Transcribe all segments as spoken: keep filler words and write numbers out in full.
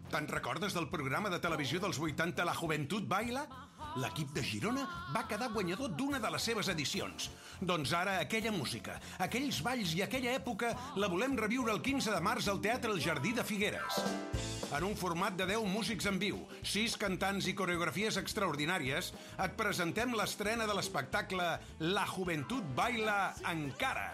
Te'n recordes del programa de televisió dels vuitanta La Joventut Baila? L'equip de Girona va quedar guanyador d'una de les seves edicions. Doncs ara aquella música, aquells balls i aquella època la volem reviure el quinze de març al Teatre El Jardí de Figueres. En un format de deu músics en viu, sis cantants i coreografies extraordinàries, et presentem l'estrena de l'espectacle La Joventut Baila Encara.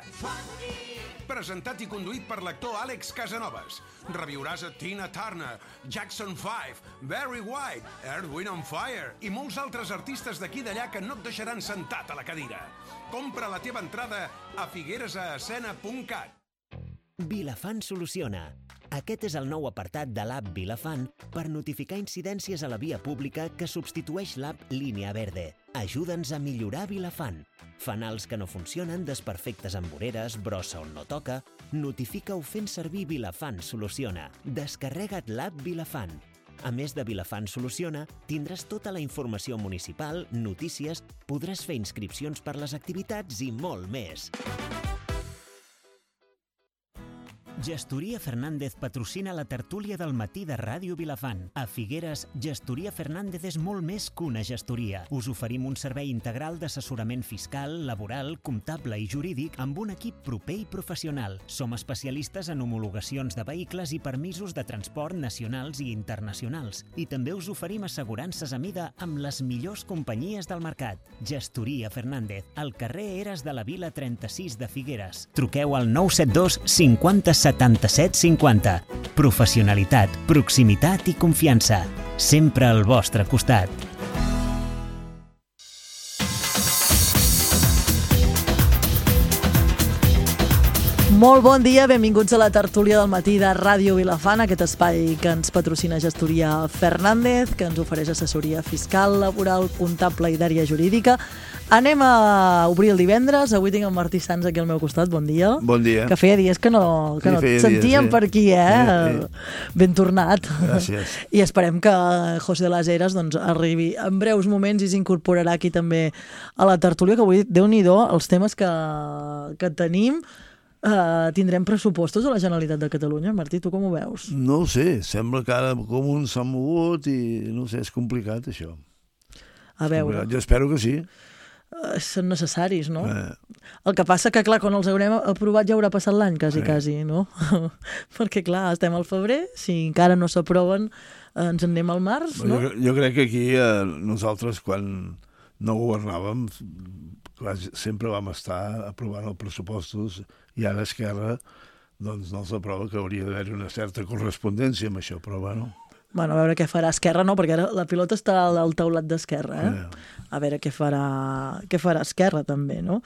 Presentat i conduït per l'actor Àlex Casanovas. Reviuràs a Tina Turner, Jackson five, Barry White, Earth, Wind and Fire i molts altres artistes d'aquí i d'allà que no et deixaran sentat a la cadira. Compra la teva entrada a figueresescena punt cat. Vilafant soluciona. Aquest és el nou apartat de l'app Vilafant per notificar incidències a la via pública que substitueix l'app Línia Verde. Ajuda'ns a millorar Vilafant. Fanals que no funcionen, desperfectes amb voreres, brossa on no toca... Notifica-ho fent servir Vilafant Soluciona. Descarrega't l'app Vilafant. A més de Vilafant Soluciona, tindràs tota la informació municipal, notícies, podràs fer inscripcions per les activitats i molt més. Gestoria Fernández patrocina la tertúlia del matí de Ràdio Vilafant. A Figueres, Gestoria Fernández és molt més que una gestoria. Us oferim un servei integral d'assessorament fiscal, laboral, comptable i jurídic amb un equip proper i professional. Som especialistes en homologacions de vehicles i permisos de transport nacionals i internacionals. I també us oferim assegurances a mida amb les millors companyies del mercat. Gestoria Fernández, al carrer Eres de la Vila trenta-sis de Figueres. Truqueu al nou set dos cinquanta setanta-set cinquanta. Professionalitat, proximitat i confiança. Sempre al vostre costat. Molt bon dia, benvinguts a la tertúlia del matí de Ràdio Vilafant, aquest espai que ens patrocina Gestoria Fernández, que ens ofereix assessoria fiscal, laboral, comptable i d'àrea jurídica. Anem a obrir el divendres. Avui tinc el Martí Sans aquí al meu costat. Bon dia. Bon dia. Que feia dies que no, que sí, no et sentíem dies, sí. per aquí, eh? Sí, sí. Ben tornat. Gràcies. I esperem que José de las Heras doncs, arribi en breus moments i s'incorporarà aquí també a la tertúlia, que avui, Déu-n'hi-do, els temes que, que tenim. Uh, tindrem pressupostos a la Generalitat de Catalunya. Martí, tu com ho veus? No ho sé, sembla que ara com un s'ha mogut i no sé, és complicat això. A veure. Jo espero que sí. Uh, són necessaris, no? Eh. El que passa que, clar, quan els haurem aprovat ja haurà passat l'any, quasi, eh. quasi, no? Perquè, clar, estem al febrer, si encara no s'aproven, eh, ens en anem al març, no? Jo, jo crec que aquí eh, nosaltres, quan no governàvem, clar, sempre vam estar aprovant els pressupostos i ara Esquerra doncs no els aprova, que hauria d'haver una certa correspondència amb això, però bueno... Bueno, a veure què farà Esquerra, no? Perquè ara la pilota està al taulat d'Esquerra, eh? eh. A veure què farà, què farà Esquerra, també, no?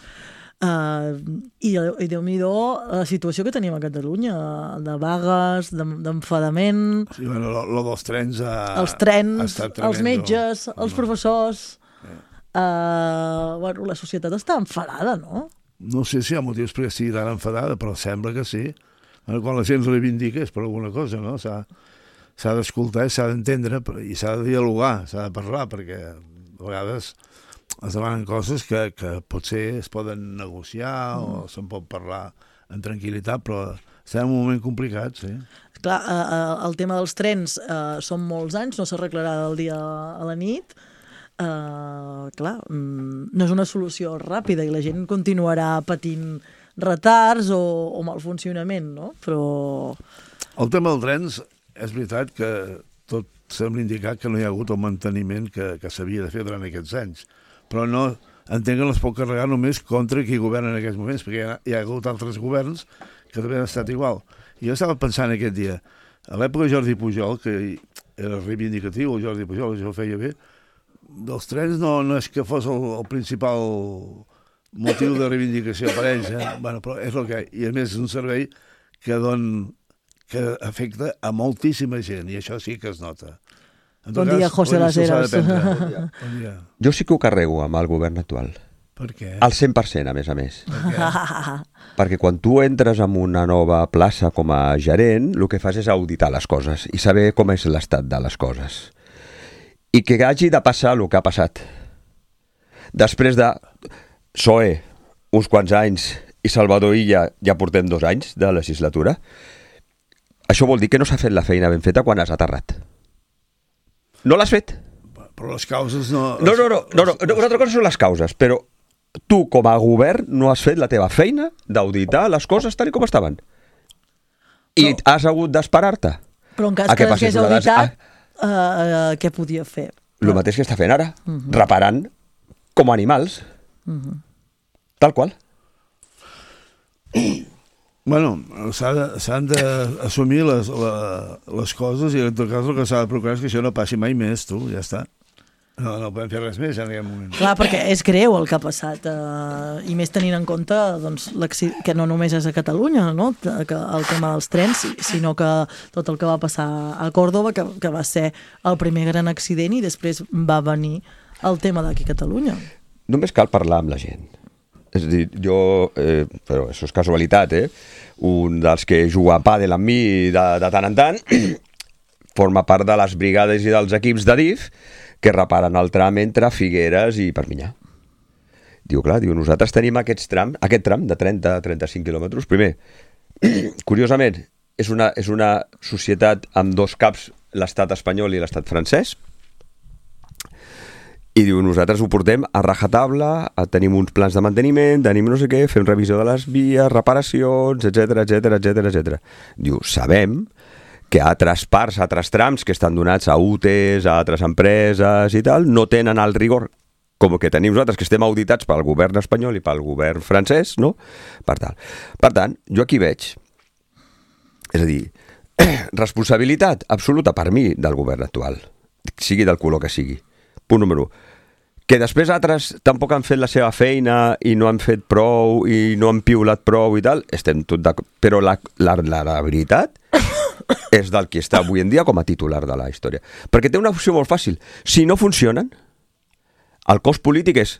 Uh, I, i Déu-n'hi-do la situació que tenim a Catalunya, de vagues, d'enfadament... Sí, bueno, lo, lo dels trens ha, els trens, ha estat tremendo. Els metges, els no. professors... Eh. Uh, bueno, la societat està enfadada, no? No sé si hi ha motius perquè estigui tan enfadada, però sembla que sí. Quan la gent reivindica és per alguna cosa, no? S'ha d'escoltar, s'ha d'entendre i s'ha de dialogar, s'ha de parlar, perquè a vegades es demanen coses que, que potser es poden negociar mm. o se'n pot parlar en tranquil·litat, però estem en un moment complicat, sí. Clar, uh, el tema dels trens uh, són molts anys, no s'arreglarà del dia a la nit. Uh, clar, um, no és una solució ràpida i la gent continuarà patint retards o, o mal funcionament, no? Però... El tema dels trens, és veritat que tot sembla indicar que no hi ha hagut el manteniment que, que s'havia de fer durant aquests anys, però no entenc que no es pot carregar només contra qui governa en aquests moments, perquè hi ha, hi ha hagut altres governs que també han estat igual. I jo estava pensant aquest dia, a l'època de Jordi Pujol, que era reivindicatiu, el Jordi Pujol, això ho feia bé, dels trens no, no és que fos el, el principal motiu de reivindicació per ells, eh? Bueno, però és el que hi ha. I a més és un servei que, don, que afecta a moltíssima gent, i això sí que es nota. En bon dia, José Las Heras. Bon dia. Bon dia. Jo sí que ho carrego amb el govern actual. Per què? Al cent per cent, a més a més. Per Perquè quan tu entres en una nova plaça com a gerent, el que fas és auditar les coses i saber com és l'estat de les coses. I que hagi de passar el que ha passat. Després de P S O E, uns quants anys, i Salvador Illa ja portem dos anys de legislatura, això vol dir que no s'ha fet la feina ben feta quan has aterrat. no l'has fet. Però les causes no... No, no, no, no, no, una altra cosa són les causes, però tu, com a govern, no has fet la teva feina d'auditar les coses tal com estaven. I Però- has hagut d'esperar-te. Però en cas A què que passés hagués una des- auditat, uh, uh, què podia fer? El mateix que està fent ara, reparant com a animals. Tal qual. Bueno, s'ha de- s'han d'assumir les, la, les coses i en tot cas el que s'ha de procurar és que això no passi mai més, tu, ja està. No, no podem fer res més en aquest moment. Clar, perquè és greu el que ha passat, eh, i més tenint en compte doncs, l'acci- que no només és a Catalunya, no? Que el tema dels trens, si- sinó que tot el que va passar a Còrdova, que, que va ser el primer gran accident i després va venir el tema d'aquí a Catalunya. Només cal parlar amb la gent. És a dir, jo, eh, però això és casualitat, eh? Un dels que juga a pàdel amb mi de, de tant en tant forma part de les brigades i dels equips de D I F que reparen el tram entre Figueres i Perpinyà. Diu, clar, diu, nosaltres tenim aquests tram, aquest tram de trenta a trenta-cinc quilòmetres. Primer, curiosament, és una, és una societat amb dos caps, l'estat espanyol i l'estat francès, i diu, nosaltres ho portem a rajatabla, tenim uns plans de manteniment, tenim no sé què, fem revisió de les vies, reparacions, etcètera, etcètera, etcètera, etcètera. Diu, sabem que altres parts, altres trams que estan donats a U T Es, a altres empreses i tal, no tenen el rigor com que tenim nosaltres, que estem auditats pel govern espanyol i pel govern francès, no? Per tant, per tant jo aquí veig, és a dir, responsabilitat absoluta per mi del govern actual, sigui del color que sigui. Punt número u. Que després altres tampoc han fet la seva feina i no han fet prou i no han piulat prou i tal, estem tot d'acord. Però la, la, la, la veritat és del que està avui en dia com a titular de la història. Perquè té una opció molt fàcil. Si no funcionen, el cost polític és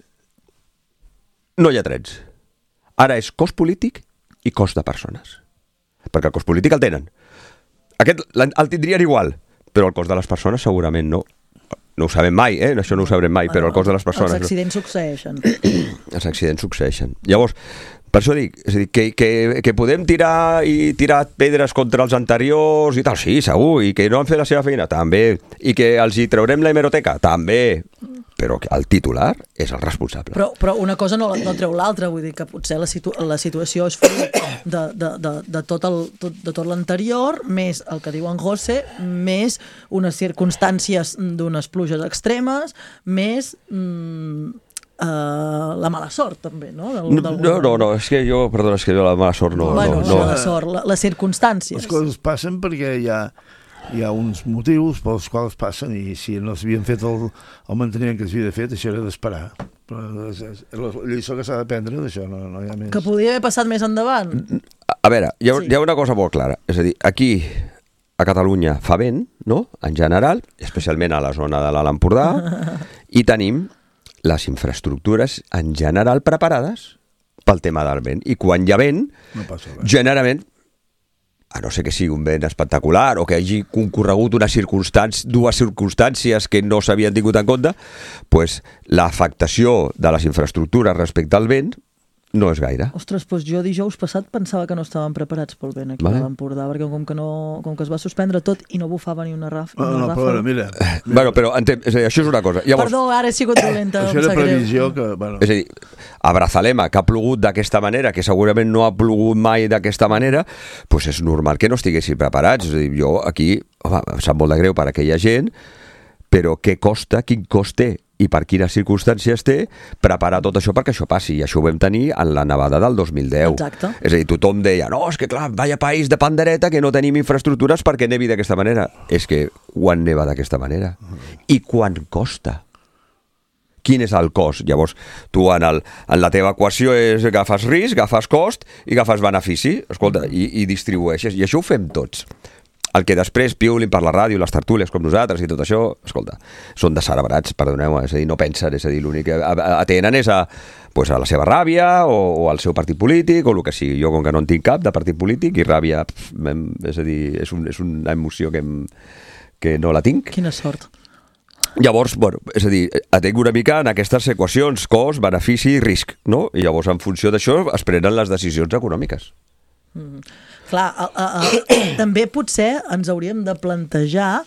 no hi ha trens. Ara és cost polític i cost de persones. Perquè el cost polític el tenen. Aquest el tindrien igual, però el cost de les persones segurament no. No ho sabem mai, eh? Això no ho sabrem mai, però el cost de les persones... Els accidents succeeixen. Els accidents succeeixen. Llavors, per això dic, és a dir, que, que, que podem tirar i tirar pedres contra els anteriors i tal, sí, segur, i que no han fet la seva feina, també, i que els hi traurem la hemeroteca, també, però que el titular és el responsable. Però, però una cosa no, no treu l'altra, vull dir que potser la, situ la situació és fruit de, de, de, de tot el, tot, de tot l'anterior, més el que diu en José, més unes circumstàncies d'unes pluges extremes, més mm, uh, la mala sort, també, no? Del, No, del no, no, no, és que jo, perdona, és que jo la mala sort no... bueno, no, no, no. la sort, la, les circumstàncies. Les coses passen perquè hi ha, hi ha uns motius pels quals passen i si no s'havien fet el, el manteniment que s'havia fet, això era d'esperar. Però és, és, és la lliçó que s'ha d'aprendre d'això, no, no hi ha més. Que podria haver passat més endavant. A veure, hi ha, Sí. hi ha una cosa molt clara, és a dir, aquí a Catalunya fa vent, no?, en general, especialment a la zona de l'Alt Empordà, i tenim les infraestructures en general preparades pel tema del vent. I quan hi ha vent, No passa res. generalment, a no ser que sigui un vent espectacular o que hagi concorregut una circumstància, dues circumstàncies que no s'havien tingut en compte, pues, l'afectació de les infraestructures respecte al vent no és gaire. Ostres, doncs jo dijous passat pensava que no estaven preparats pel vent aquí Vale. a l'Empordà, perquè com que, no, com que es va suspendre tot i no bufava ni una, raf, No, una no, ràfaga. però mira, mira Bueno, però entenc, és a dir, això és una cosa. Llavors, Perdó, ara he sigut dolenta. això em era sap greu. previsió que... Bueno, és a dir, a Brazalema, que ha plogut d'aquesta manera, que segurament no ha plogut mai d'aquesta manera, doncs és normal que no estiguessin preparats. És a dir, jo aquí, home, em sap molt de greu per aquella gent, però què costa, quin cost té i per quines circumstàncies té preparar tot això perquè això passi. I això ho vam tenir en la nevada del dos mil deu. Exacte. És a dir, tothom deia, no, és que clar, vaya país de pandereta que no tenim infraestructures perquè nevi d'aquesta manera. És que quan neva d'aquesta manera? I quan costa? Quin és el cost? Llavors, tu en, el, en la teva equació és agafes risc, agafes cost i agafes benefici, escolta, i, i distribueixes. I això ho fem tots. El que després piulin per la ràdio, les tertúlies com nosaltres i tot això, escolta, són descerebrats, perdoneu, és a dir, no pensen, és a dir, l'únic que atenen és a, pues, a la seva ràbia o, o al seu partit polític o el que sigui. Jo, com que no en tinc cap de partit polític i ràbia, pf, és a dir, és, un, és una emoció que, em, que no la tinc. Quina sort. Llavors, bueno, és a dir, atenc una mica en aquestes equacions, cost, benefici i risc, no? I llavors, en funció d'això, es prenen les decisions econòmiques. Clar, a, a, a, també potser ens hauríem de plantejar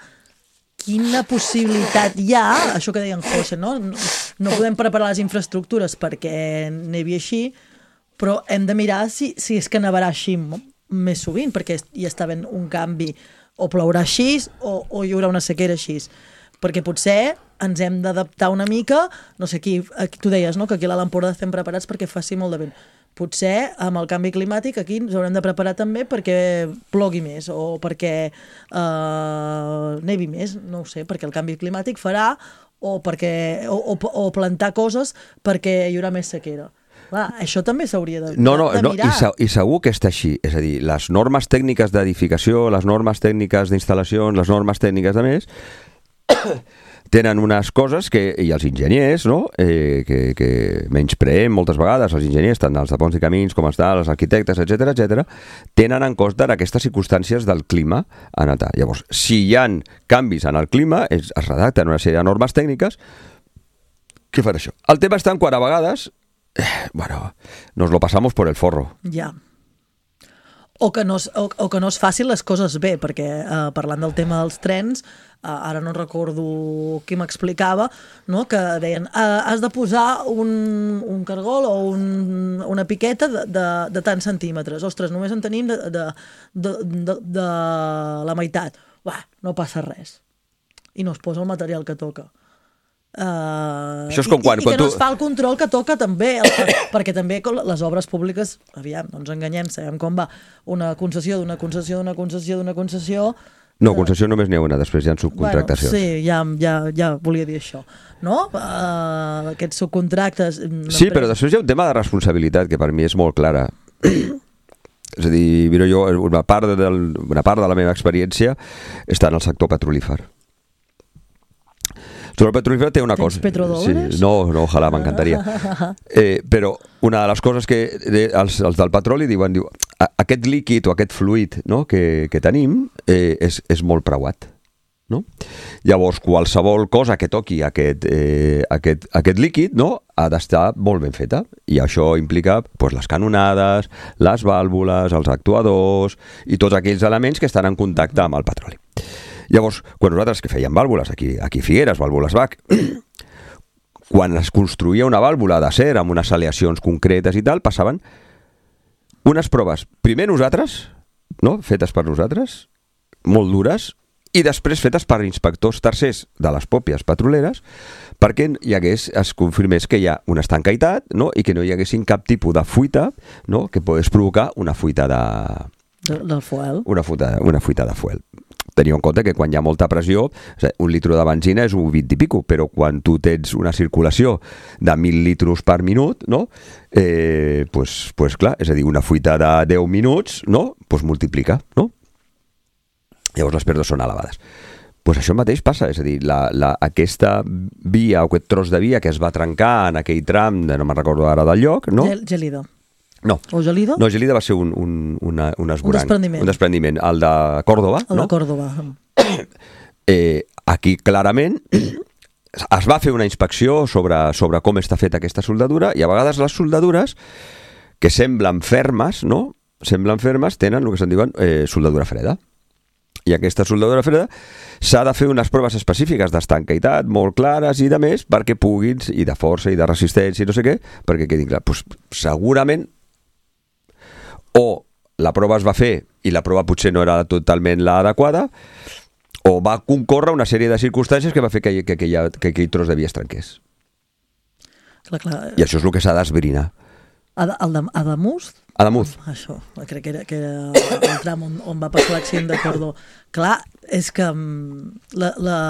quina possibilitat hi ha, això que deien José, no? No, no podem preparar les infraestructures perquè nevi així, però hem de mirar si, si és que nevarà així més sovint, perquè hi està havent un canvi, o plourà així o, o hi haurà una sequera així. Perquè potser ens hem d'adaptar una mica, no sé, aquí, aquí tu deies, no?, que aquí a l'Empordà estem preparats perquè faci molt de vent. Potser amb el canvi climàtic aquí ens haurem de preparar també perquè plogui més o perquè eh, nevi més, no ho sé, perquè el canvi climàtic farà o, perquè, o, o, o plantar coses perquè hi haurà més sequera. Clar, això també s'hauria de, no, no, de no, mirar. I, se, I segur que està així. És a dir, les normes tècniques d'edificació, les normes tècniques d'instal·lacions, les normes tècniques de més, tenen unes coses que, i els enginyers, no?, eh, que, que menyspreem moltes vegades, els enginyers, tant els de ponts i camins com els dels arquitectes, etcètera, etcètera, tenen en compte aquestes circumstàncies del clima en el... Llavors, si hi ha canvis en el clima, es, es redacten una sèrie de normes tècniques que fan això. El tema està en quan a vegades, eh, bueno, nos lo pasamos por el forro. Ja. O que, no es, o, o que no es facin les coses bé, perquè eh, parlant del tema dels trens, eh, ara no recordo qui m'explicava, no?, que deien eh, has de posar un, un cargol o un, una piqueta de, de, de tants centímetres. Ostres, només en tenim de, de, de, de, de la meitat. Uah, no passa res. I no es posa el material que toca. Uh, Això és com quan, i, i quan que no tu... es fa el control que toca també, el, perquè també les obres públiques, aviam, no ens enganyem, sabem com va, una concessió d'una concessió d'una concessió d'una concessió... No, concessió només n'hi ha una, després hi ha subcontractacions. Bueno, sí, ja, ja, ja volia dir això, no? Uh, aquests subcontractes... Sí, però després hi ha un tema de responsabilitat que per mi és molt clara. És a dir, mira, jo, una part, del, una part de la meva experiència està en el sector petrolífer. Sobre el petrolífer té una Tens cosa... petrodòlars? Sí, no, no, ojalà, m'encantaria. Eh, però una de les coses que de, els, els del petroli diuen, diu, aquest líquid o aquest fluid, no?, que, que tenim eh, és, és molt preuat. No? Llavors, qualsevol cosa que toqui aquest, eh, aquest, aquest líquid, no?, ha d'estar molt ben feta. I això implica pues, les canonades, les vàlvules, els actuadors i tots aquells elements que estan en contacte amb el petroli. Llavors, quan nosaltres que fèiem vàlvules, aquí, aquí a Figueres, vàlvules B A C, quan es construïa una vàlvula d'acer amb unes aleacions concretes i tal, passaven unes proves, primer nosaltres, no?, fetes per nosaltres, molt dures, i després fetes per inspectors tercers de les pròpies petroleres, perquè hi hagués, es confirmés que hi ha una estancaïtat, no?, i que no hi haguessin cap tipus de fuita, no?, que pogués provocar una fuita de... De, del fuel. Una fuita, una fuita de fuel. Teniu en compte que quan hi ha molta pressió, un litro de benzina és un vint i pico, però quan tu tens una circulació de mil litros per minut, no? Eh, pues, pues clar, és a dir, una fuita de deu minuts, no? Pues multiplica, no? Llavors les pèrdues són elevades. Pues això mateix passa, és a dir, la, la, aquesta via o aquest tros de via que es va trencar en aquell tram, no me'n recordo ara del lloc, no? Gel, Gelida. No. O Gelida? No, Gelida va ser un, un, una, un esborrany. Un desprendiment. Un desprendiment. El de Còrdova, el no? de Còrdova. Eh, aquí clarament es va fer una inspecció sobre, sobre com està feta aquesta soldadura i a vegades les soldadures que semblen fermes, no? Semblen fermes, tenen el que se'n diuen eh, soldadura freda. I aquesta soldadura freda s'ha de fer unes proves específiques d'estancaïtat molt clares i de més perquè puguin, i de força i de resistència i no sé què, perquè quedin clar. Pues, segurament o la prova es va fer i la prova potser no era totalment l'adequada, o va concórrer una sèrie de circumstàncies que va fer que, que, que, que, que aquell tros de via es trenqués. Clar, clar. I això és el que s'ha d'esbrinar. Adamuz? Adamuz. Això, crec que era, que era el tram on, on va passar l'accident de Cordó. Clar, és que la, la,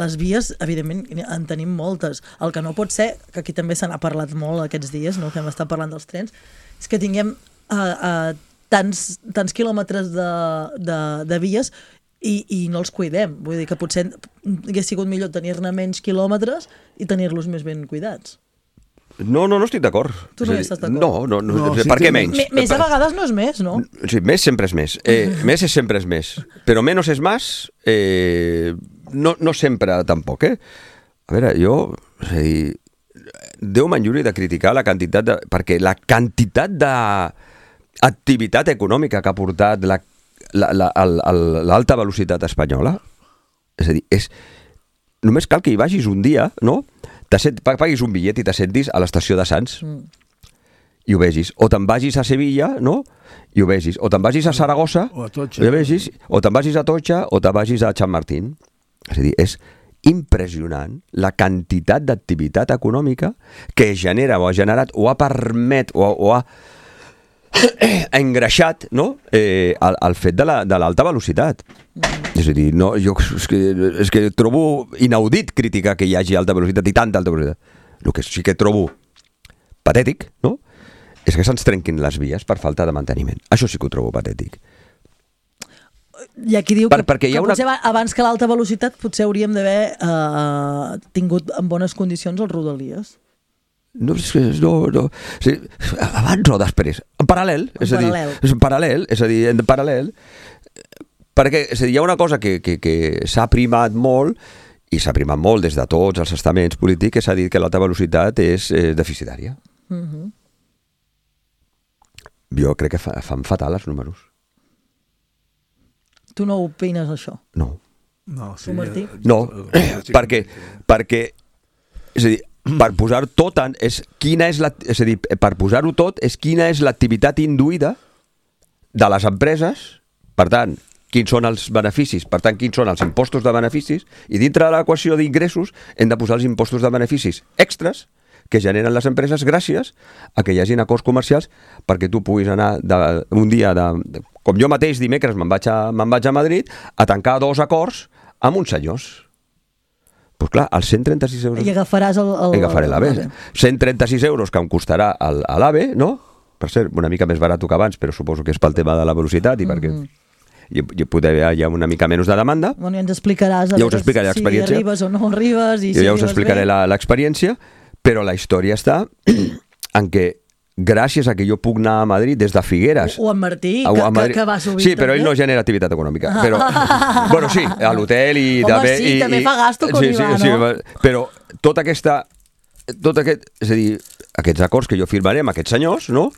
les vies, evidentment, en tenim moltes. El que no pot ser, que aquí també se n'ha parlat molt aquests dies, no? Que hem estat parlant dels trens, és que tinguem uh, uh, tants, tants quilòmetres de, de, de vies i, i no els cuidem. Vull dir que potser hagués sigut millor tenir-ne menys quilòmetres i tenir-los més ben cuidats. No, no, no estic d'acord. Tu no hi estàs d'acord? No, no, no, No, per sí què que- menys? M més a vegades no és més, no? Sí, més sempre és més. Eh, més és sempre és més. Però menos és més, eh, no, no sempre tampoc, eh? A veure, jo... És a dir, Déu m'enlluri de criticar la quantitat de... Perquè la quantitat d'activitat econòmica que ha portat la, la, la, l'alta velocitat espanyola, és a dir, és només cal que hi vagis un dia, no? T'assent, paguis un bitllet i t'assentis a l'estació de Sants mm. i ho vegis. O te'n vagis a Sevilla, no? I ho vegis. O te'n vagis a Saragossa o, a i ho vegis. O te'n vagis a Totxa o te'n vagis a Chamartín. És a dir, és impressionant la quantitat d'activitat econòmica que genera o ha generat o ha permet o, o ha engreixat, no? eh, el, el fet de l'alta la, de velocitat. Mm. És a dir, no, jo és que, és que trobo inaudit criticar que hi hagi alta velocitat i tanta alta velocitat. El que sí que trobo patètic, no? És que se'ns trenquin les vies per falta de manteniment. Això sí que ho trobo patètic. Hi ha qui diu per, que, que una... potser abans que l'alta velocitat potser hauríem d'haver eh, tingut en bones condicions els rodalies. No, no, no. Sí, abans o després. En paral·lel. En és paral·lel. A dir, és en paral·lel. És a dir, en paral·lel. Perquè és a dir, hi ha una cosa que, que, que s'ha primat molt, i s'ha primat molt des de tots els estaments polítics, que s'ha dit que l'alta velocitat és eh, deficitària. Uh-huh. Jo crec que fa, fan fatal els números. Tu no opines això? No. No, sí, tu, Martí? No, perquè, perquè és a dir, per posar tot en, és quina és la, és a dir, per posar-ho tot és quina és l'activitat induïda de les empreses, per tant, quins són els beneficis, per tant, quins són els impostos de beneficis, i dintre de l'equació d'ingressos hem de posar els impostos de beneficis extras que generen les empreses gràcies a que hi hagin acords comercials perquè tu puguis anar de, un dia, de, com jo mateix dimecres me'n vaig, a, me'n vaig a Madrid a tancar dos acords amb uns senyors. Doncs pues clar, els cent trenta-sis euros... I agafaràs el... el agafaré l'AVE. cent trenta-sis euros que em costarà l'AVE, no? Per cert, una mica més barat que abans, però suposo que és pel tema de la velocitat i mm-hmm. perquè hi, hi poder haver ja una mica menys de demanda. Bueno, ja ens explicaràs ja us explicaré si arribes o no arribes. I jo si ja us explicaré l'experiència, però la història està en què gràcies a que jo puc anar a Madrid des de Figueres... O en Martí, que, que, que va subir. Sí, però ell no genera activitat econòmica. Però, bueno, sí, a l'hotel i... Home, també, sí, i, també i, fa gasto com sí, hi va, sí, no? Sí, però tota aquesta... Tot aquest, és a dir, aquests acords que jo firmaré amb aquests senyors, no?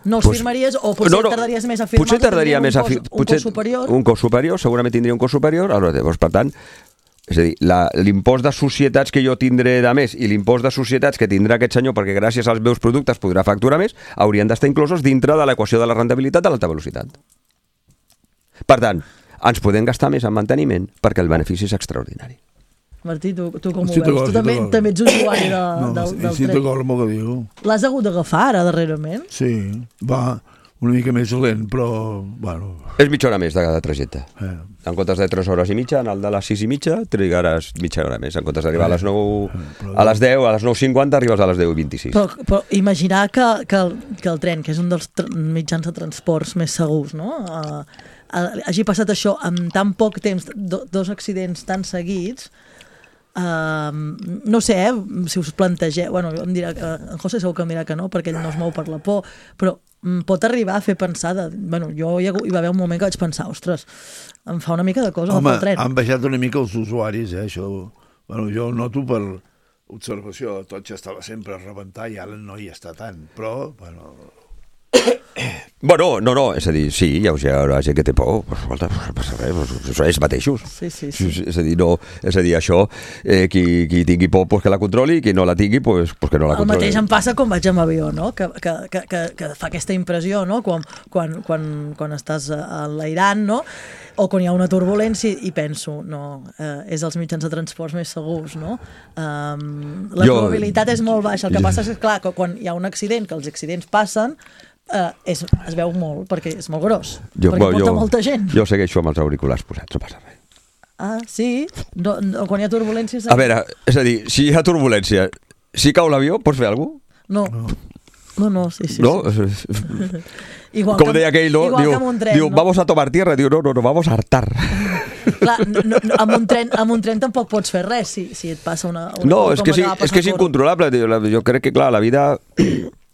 No els pues, firmaries o potser no, no, tardaries més a firmar? Potser tardaria més a firmar. Un cos superior? Un cos superior, segurament tindria un cos superior. Llavors, per tant, és a dir, l'impost de societats que jo tindré de més i l'impost de societats que tindrà aquest senyor perquè gràcies als meus productes podrà facturar més, haurien d'estar inclosos dintre de l'equació de la rendibilitat de l'alta velocitat. Per tant, ens podem gastar més en manteniment perquè el benefici és extraordinari. Martí, tu, tu com ho veus? Tu també, també ets usuari de, no, del, del sí, tren. Sí, d'acord amb el que diu. L'has hagut d'agafar ara, darrerament? Sí, va una mica més lent, però... Bueno. És mitja hora més de, de trajecte. Eh. En comptes de tres hores i mitja, en el de les sis i mitja, trigaràs mitja hora més. En comptes d'arribar eh. a les nou, eh, a les deu, a les nou cinquanta, arribes a les deu i vint-i-sis. Però, però imaginar que, que, el, que el tren, que és un dels mitjans de transports més segurs, no? Uh, hagi passat això en tan poc temps, do, dos accidents tan seguits... Uh, no sé, eh, si us plantegeu, bueno, em dirà que, en José segur que em dirà que no, perquè ell no es mou per la por, però um, pot arribar a fer pensar de, bueno, jo hi, ha, hi va haver un moment que vaig pensar, ostres, em fa una mica de cosa Home, el tren. han baixat una mica els usuaris, eh, això, bueno, jo ho noto per observació, tot ja estava sempre a rebentar i ara no hi està tant, però, bueno... Bueno, no, no, és a dir, sí, hi haurà gent que té por, però escolta, no passa res, això és mateixos. Sí, sí, sí. És a dir, no, és a dir, això, eh, qui, qui tingui por, pues que la controli, i qui no la tingui, pues, pues que no la controli. El mateix em passa quan vaig amb avió, no? Que, que, que, que, que fa aquesta impressió, no? Quan, quan, quan, quan estàs enlairant, no? O quan hi ha una turbulència i penso, no, eh, és els mitjans de transports més segurs, no? Um, la jo, probabilitat és molt baixa. El que jo, passa és que, clar, que quan hi ha un accident, que els accidents passen, Uh, és, es veu molt, perquè és molt gros, jo, perquè porta jo, molta gent. Jo segueixo amb els auriculars posats, no passa res. Ah, sí? No, no, quan hi ha turbulències... A veure, és a dir, si hi ha turbulència, si cau l'avió, pots fer alguna cosa? No. No, no, sí, sí. No? Sí. Igual com deia aquell, no? Diu, tren, diu, no? Vamos a tomar tierra, diu, no, no, no, vamos a hartar. Clar, no, no, amb, un tren, amb un tren tampoc pots fer res si, si et passa una... una no, és que, sí, és que és incontrolable. Jo crec que, clar, la vida...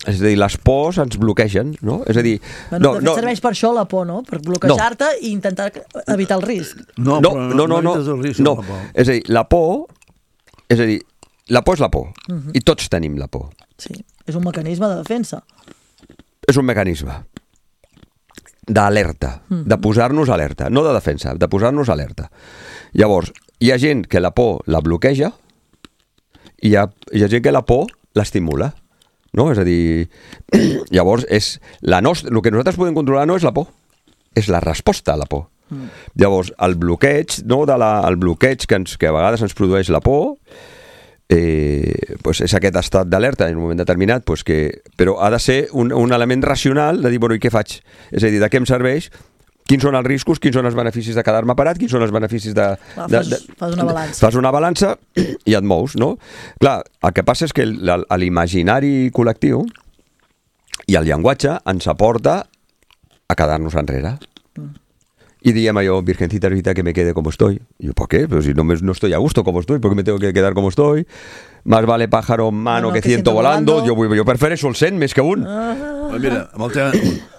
És a dir, les pors ens bloquegen, no? És a dir... Bueno, no, no, serveix per això la por, no? Per bloquejar-te no. I intentar evitar el risc. No, no, però no, no, no, no, risc no. La por. És a dir, la por... És a dir, la por és la por. Uh -huh. I tots tenim la por. Sí, és un mecanisme de defensa. És un mecanisme d'alerta, uh -huh. de posar-nos alerta. No de defensa, de posar-nos alerta. Llavors, hi ha gent que la por la bloqueja i hi ha, hi ha gent que la por l'estimula. No? És a dir, llavors, és la nostra, el que nosaltres podem controlar no és la por, és la resposta a la por. Mm. Llavors, el bloqueig, no, de la, el bloqueig que, ens, que a vegades ens produeix la por, eh, pues és aquest estat d'alerta en un moment determinat, pues que, però ha de ser un, un element racional de dir, bueno, i què faig? És a dir, de què em serveix? Quins són els riscos, quins són els beneficis de quedar-me parat, quins són els beneficis de... Clar, de, fas, de fas una balança. Fas una balança i et mous, no? Clar, el que passa és que l'imaginari col·lectiu i el llenguatge ens aporta a quedar-nos enrere. Mm. I diem allò, virgencita Rita, que me quede como estoy. Y yo, ¿por qué? Pero si no, me, no estoy a gusto como estoy, ¿por qué me tengo que quedar como estoy? Más vale pájaro en mano no, no, que, que ciento volando. volando. Jo, jo prefereixo el cent més que un. Ah. Mira, amb el, tema,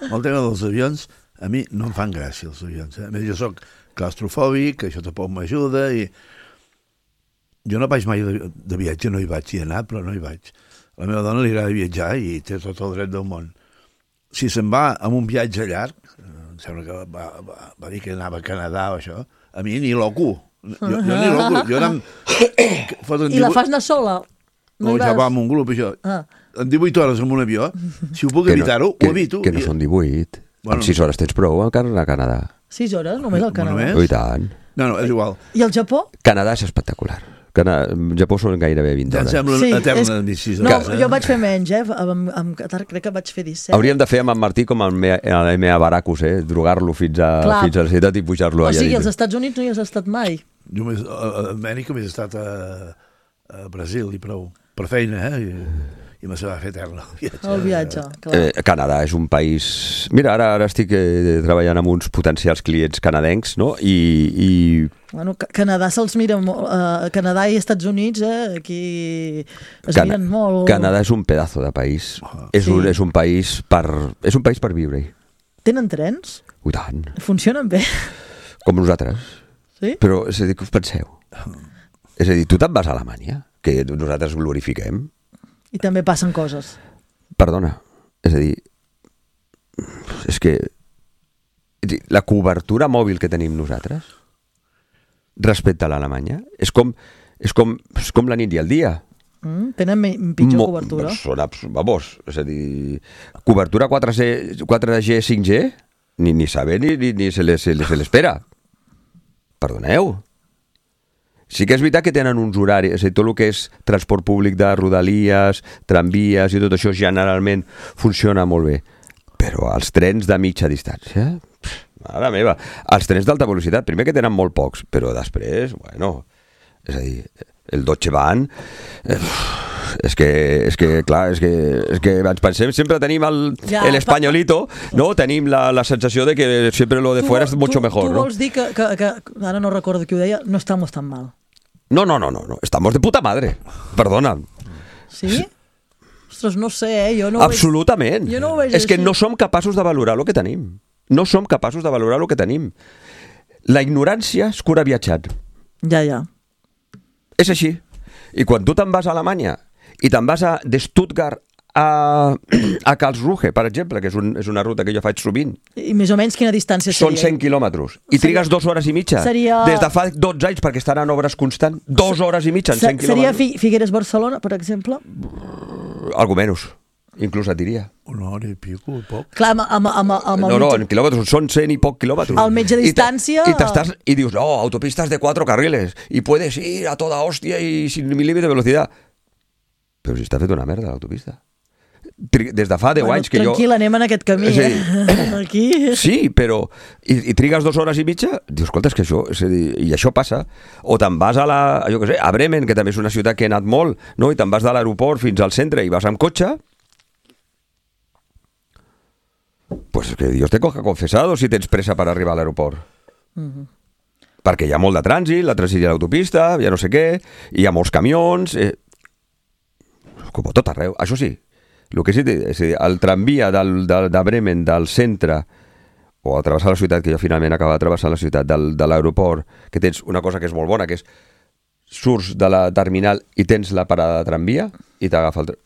amb el tema dels avions, a mi no em fan gràcia els avions. Eh? A més, jo soc claustrofòbic, això tampoc m'ajuda, i jo no vaig mai de, de viatge, no hi vaig, hi he anat, però no hi vaig. A la meva dona li agrada viatjar i té tot el dret del món. Si se'n va amb un viatge llarg, em sembla que va, va, va dir que anava a Canadà o això, a mi ni loco. Jo, jo ni loco. Jo anam... I la fas anar sola? No, ja va amb un grup, això. Ah. En divuit hores amb un avió, si ho puc evitar-ho, ho evito. Que no són divuit. Bueno, amb sis hores tens prou a Canadà. Sis hores? Només al Canadà? Bueno, I tant. No, no, és igual. I el Japó? Canadà és espectacular. Canadà, Japó són gairebé vint hores. Ja em sembla sí, eterna és... sis hores. No, jo vaig fer menys, eh? Amb, amb Qatar crec que vaig fer disset. Hauríem de fer amb en Martí com el M A Baracus, eh? Drogar-lo fins a, fins a la ciutat i pujar-lo allà. O sigui, als Estats Units no hi has estat mai? Jo més, a Amèrica m'he estat a, a Brasil i prou. Per feina, eh? I... i me se va fer eterna el viatge. El viatge, clar. Eh, Canadà és un país... Mira, ara, ara estic eh, treballant amb uns potencials clients canadencs, no? I... i... Bueno, Canadà se'ls mira molt... Uh, Canadà i Estats Units, eh? Aquí es Cana miren molt... Canadà és un pedazo de país. Oh, és, sí. un, és un país per... És un país per viure-hi. Tenen trens? I tant. Funcionen bé? Com nosaltres. Sí? Però, és a dir, que us penseu? És a dir, tu te'n vas a Alemanya, que nosaltres glorifiquem, i també passen coses. Perdona, és a dir, és que la cobertura mòbil que tenim nosaltres respecte a l'Alemanya és com, és, com, és com la nit i el dia. Mm, tenen pitjor Mo cobertura. Són, vamos, és a dir, cobertura quatre G, cinc G, ni, ni saber ni, ni, ni se l'espera. Perdoneu. Sí que és veritat que tenen uns horaris, és a dir, tot el que és transport públic de rodalies, tramvies i tot això generalment funciona molt bé. Però els trens de mitja distància, mare meva, els trens d'alta velocitat, primer que tenen molt pocs, però després, bueno, és a dir, el Deutsche Bahn, eh, és que, és que, clar, és que, és que ens pensem, sempre tenim el, ja, el españolito, no? Tenim la, la sensació de que sempre lo de tu, fuera es mucho tu, mejor, tu ¿no? Tu vols dir que, que, que, ara no recordo qui ho deia, no estamos tan mal. No, no, no, no, no. Estamos de puta madre. Perdona. Sí? Ostres, no sé, eh? Jo no Absolutament. Veig... Jo no ho veig és així. que no som capaços de valorar el que tenim. No som capaços de valorar el que tenim. La ignorància es cura viatjant. Ja, ja. És així. I quan tu te'n vas a Alemanya i te'n vas a, de Stuttgart a, a Karlsruhe, per exemple, que és, un, és una ruta que jo faig sovint. I més o menys quina distància seria? Són cent quilòmetres. I seria... trigues dues hores i mitja. Seria... Des de fa dotze anys, perquè estan en obres constant. Dues hores i mitja en cent seria quilòmetres. Seria Figueres-Barcelona, per exemple? Algo menys. Inclús et diria. Una hora i pico, poc. Clar, amb, amb, amb, amb no, no, en quilòmetres, són cent i poc quilòmetres. Al mitja distància... I, t'estàs, i dius, no, autopistas de cuatro carriles, i puedes ir a toda hòstia i sin límit de velocitat. Però si està fet una merda l'autopista. Des de fa deu bueno, anys que tranquil, jo... Tranquil, anem en aquest camí, sí. eh? Aquí... Sí, però... I, i trigues dues hores i mitja? Dius, escolta, és que això... És a dir, i això passa. O te'n vas a la... Jo què sé, a Bremen, que també és una ciutat que he anat molt, no? I te'n vas de l'aeroport fins al centre i vas amb cotxe... Pues que Dios te coja confesado si tens pressa per arribar a l'aeroport. Uh-huh. Perquè hi ha molt de trànsit, la trànsit i l'autopista, ja no sé què, hi ha molts camions... Eh... Com a tot arreu. Això sí, el que sí, és dir, el tramvia del, de, de Bremen, del centre, o a travessar la ciutat, que jo finalment acaba de travessar la ciutat, del, de l'aeroport, que tens una cosa que és molt bona, que és surts de la terminal i tens la parada de tramvia i t'agafa el...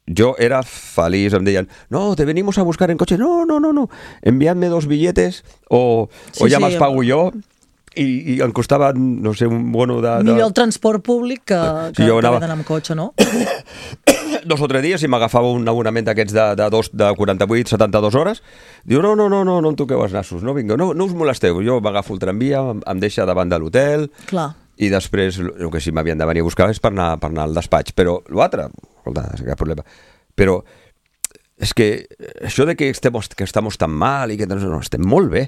Yo era feliz, em deien, no, te venimos a buscar en coche. No, no, no, no, enviadme dos billetes o, sí, o ya sí, más pago yo. i, i em costava, no sé, un bono de... de... Millor el transport públic que, que, Sí, jo que anava- haver d'anar amb cotxe, no? dos o tres dies i m'agafava un abonament d'aquests de, de, dos, de quaranta-vuit a setanta-dues hores. Diu, no, no, no, no, no em toqueu els nassos, no, vinga, no, no us molesteu. Jo m'agafo el tramvia, em, em deixa davant de l'hotel Clar. i després el que sí m'havien de venir a buscar és per anar, per anar al despatx. Però l'altre, escolta, és cap problema. Però és que això de que estem, que estem tan mal i que no, estem molt bé.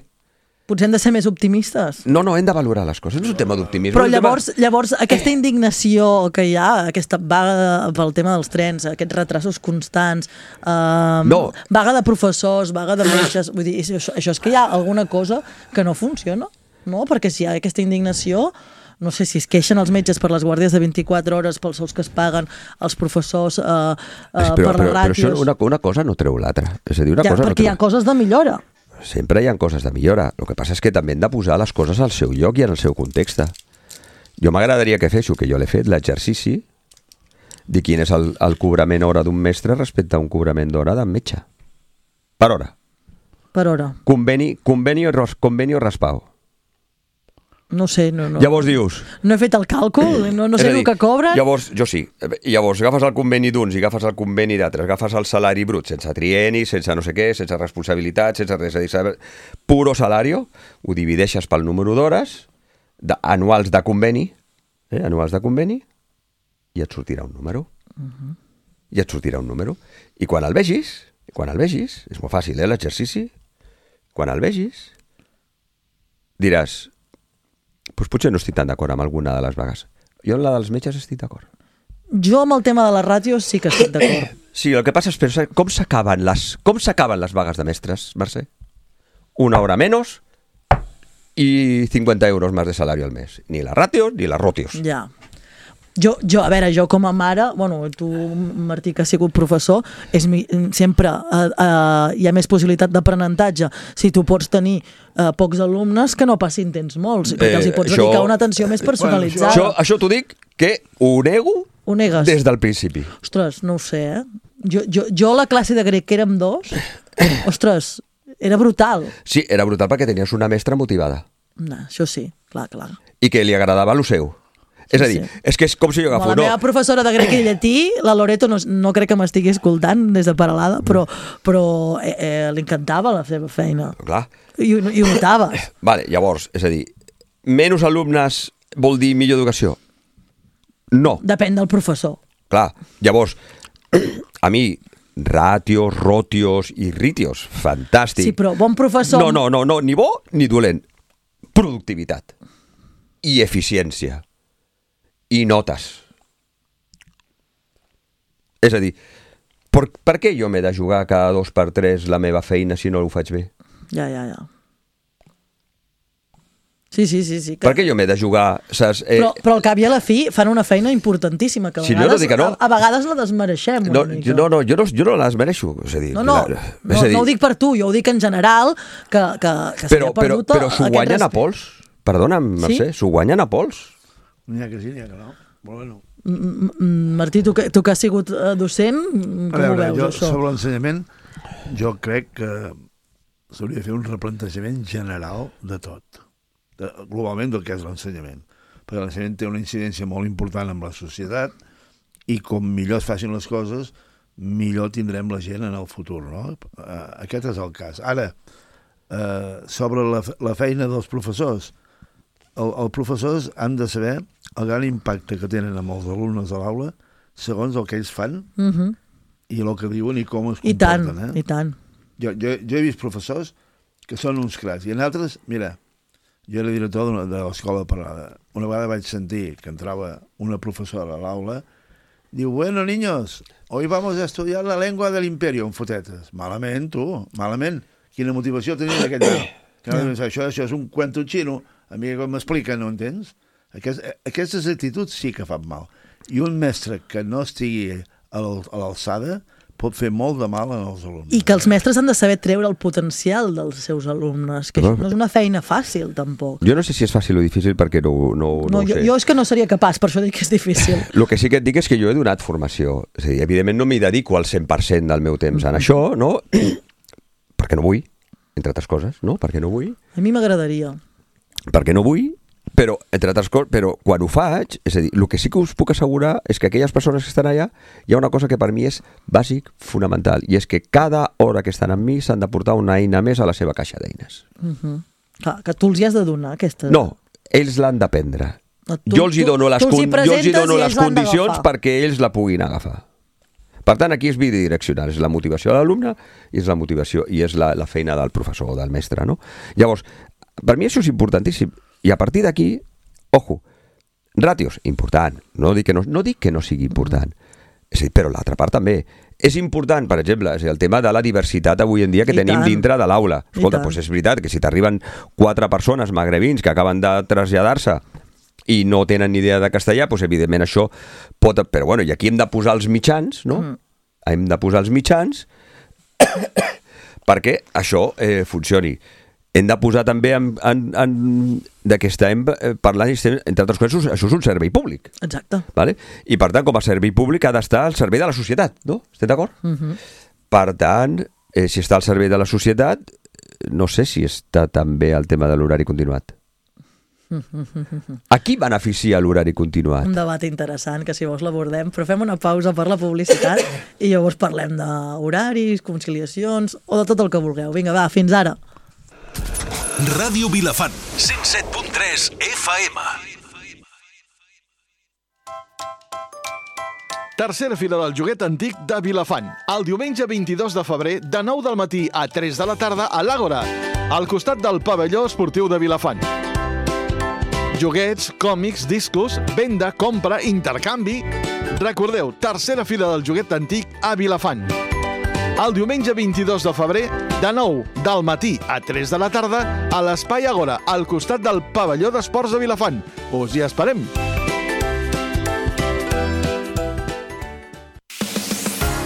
Potser hem de ser més optimistes. No, no, hem de valorar les coses. No és un tema d'optimisme. Però és un tema- llavors, llavors aquesta indignació que hi ha, aquesta vaga pel tema dels trens, aquests retrasos constants, eh, No. vaga de professors, vaga de metges, vull dir, això, això és que hi ha alguna cosa que no funciona, no? Perquè si hi ha aquesta indignació, no sé si es queixen els metges per les guàrdies de vint-i-quatre hores, pels sous que es paguen, els professors eh, eh, però, per les però, però ràtios... això una, una cosa no treu l'altra. És a dir, una ja, cosa no perquè hi treu... ha coses de millora. Sempre hi ha coses de millora. El que passa és que també hem de posar les coses al seu lloc i en el seu context. Jo m'agradaria que fes, que jo l'he fet, l'exercici de quin és el, el cobrament hora d'un mestre respecte a un cobrament d'hora d'un metge. Per hora. Per hora. Conveni, conveni, o, ros- conveni o raspao. No sé, no, no. Llavors dius... No he fet el càlcul, no, no És sé a dir, el que cobren. Llavors, jo sí. Llavors agafes el conveni d'uns i agafes el conveni d'altres, agafes el salari brut, sense trieni, sense no sé què, sense responsabilitat, sense res, és a dir, saber- puro salario, ho divideixes pel número d'hores, de, anuals de conveni, eh, anuals de conveni, i et sortirà un número. Uh-huh. I et sortirà un número. I quan el vegis, quan el vegis, és molt fàcil, eh, l'exercici, quan el vegis, diràs, doncs potser no estic tan d'acord amb alguna de les vagues. Jo en la dels metges estic d'acord. Jo amb el tema de les ràtios sí que estic d'acord. Sí, el que passa és pensar com s'acaben les, com s'acaben les vagues de mestres, Mercè? Una hora menos i cincuenta euros més de salari al mes. Ni les ràtios ni les rotios. Ja. Jo, jo, a veure, jo com a mare, bueno, tu, Martí, que has sigut professor, és mi, sempre eh, eh, hi ha més possibilitat d'aprenentatge. Si tu pots tenir eh, pocs alumnes, que no passin temps molts, perquè Eh, els hi pots això- dedicar una atenció més personalitzada. Això, això t'ho dic que ho nego Ho negues? des del principi. Ostres, no ho sé, eh? Jo, jo, jo a la classe de grec, que érem dos, ostres, era brutal. Sí, era brutal perquè tenies una mestra motivada No, això sí, clar, clar. i que li agradava lo seu. És a dir, sí. és que és com si jo Com agafo... la No, meva professora de grec i llatí, la Loreto, no, no crec que m'estigui escoltant des de Paralada, però, però eh, eh, li encantava la seva feina. clar. I, ho- i ho notaves. Vale, llavors, és a dir, menys alumnes vol dir millor educació? No. Depèn del professor. Clar, llavors, a mi, ràtios, rotios i ritios, fantàstic. Sí, però bon professor... No, no, no, no, ni bo ni dolent. Productivitat i eficiència i notes. És a dir, per, per què jo m'he de jugar cada dos per tres la meva feina si no ho faig bé? Ja, ja, ja. Sí, sí, sí. sí que... Per què jo m'he de jugar? Saps? Eh, Però, però al cap i a la fi fan una feina importantíssima, que a Si no, vegades, no dic que no. a, a vegades la desmereixem una no, mica. jo, no, no, jo no, jo no les mereixo. És a dir, No, no, la- no, és a dir, no ho dic per tu, jo ho dic en general, que, que, que però, s'ha però, perdut però s'ho aquest guanyen a respe- pols. Perdona'm, Mercè, s'ho guanyen a pols. N'hi ha que sí, n'hi ha que no. Però bueno. Mm, mm, Martí, tu que, tu que has sigut eh, docent, com A veure, ho veus, jo, això? sobre l'ensenyament, jo crec que s'hauria de fer un replantejament general de tot, de, globalment del que és l'ensenyament, perquè l'ensenyament té una incidència molt important en la societat i com millor es facin les coses, millor tindrem la gent en el futur, no? Eh, Aquest és el cas. Ara, eh, sobre la, la feina dels professors, el, els professors han de saber el gran impacte que tenen amb els alumnes a l'aula segons el que ells fan Uh -huh. i el que diuen i com es I tant, comporten. Eh? i tant. Jo, jo, jo he vist professors que són uns cracs i en altres, mira, jo era director d'una- de l'escola Paralada. Una vegada vaig sentir que entrava una professora a l'aula, diu, bueno, niños, hoy vamos a estudiar la lengua del imperio, en fotetes. Malament, tu, malament. Quina motivació tenia d'aquest nen? Que no, això, això és un cuento xino, a mi com m'explica, no entens? Aquest, aquestes actituds sí que fan mal. I un mestre que no estigui a l'al- a l'alçada pot fer molt de mal als alumnes. I que els mestres han de saber treure el potencial dels seus alumnes, que això no és una feina fàcil, tampoc. Jo no sé si és fàcil o difícil perquè no, no, no, No, ho jo, sé. jo és que no seria capaç, per això dic que és difícil. El que sí que et dic és que jo he donat formació. És a dir, evidentment no m'hi dedico al cent per cent del meu temps en això, no? Perquè no vull, entre altres coses, no? Perquè no vull. A mi m'agradaria. Perquè no vull Però, entre altres coses, però quan ho faig, és a dir, el que sí que us puc assegurar és que aquelles persones que estan allà, hi ha una cosa que per mi és bàsic, fonamental, i és que cada hora que estan amb mi s'han de portar una eina més a la seva caixa d'eines. Uh-huh. Clar, que tu els hi has de donar, aquesta... No, ells l'han d'aprendre. No, jo els hi dono les, tu, tu con jo els hi dono les condicions d'agafar. perquè ells la puguin agafar. Per tant, aquí és bidireccional, és la motivació de l'alumne i és la motivació i és la, la feina del professor o del mestre, no? Llavors, per mi això és importantíssim. I a partir d'aquí, ojo, ràtios, important. No dic que no, no, dic que no sigui important. És a dir, però l'altra part també. És important, per exemple, és el tema de la diversitat avui en dia que I tenim tant. dintre de l'aula. Escolta, doncs és veritat que si t'arriben quatre persones magrebins que acaben de traslladar-se i no tenen ni idea de castellà, doncs evidentment això pot... Però bueno, i aquí hem de posar els mitjans, no? Mm. Hem de posar els mitjans perquè això eh, funcioni. Hem de posar també en, en, en, de que estem parlant, entre altres coses, això és un servei públic. Exacte. Vale? I per tant, com a servei públic ha d'estar al servei de la societat, no? Estem d'acord? Uh-huh. Per tant, eh, si està al servei de la societat, no sé si està també el tema de l'horari continuat. A qui beneficia l'horari continuat? Un debat interessant que si vols l'abordem, però fem una pausa per la publicitat i llavors parlem d'horaris, conciliacions o de tot el que vulgueu. Vinga, va, fins ara. Ràdio Vilafant, cent set punt tres F M. Tercera fira del joguet antic de Vilafant. El diumenge vint-i-dos de febrer, de nou del matí a tres de la tarda, a l'Àgora, al costat del pavelló esportiu de Vilafant. Joguets, còmics, discos, venda, compra, intercanvi... Recordeu, tercera fira del joguet antic a Vilafant. El diumenge vint-i-dos de febrer, de nou del matí a tres de la tarda, a l'Espai Àgora, al costat del pavelló d'esports de Vilafant. Us hi esperem!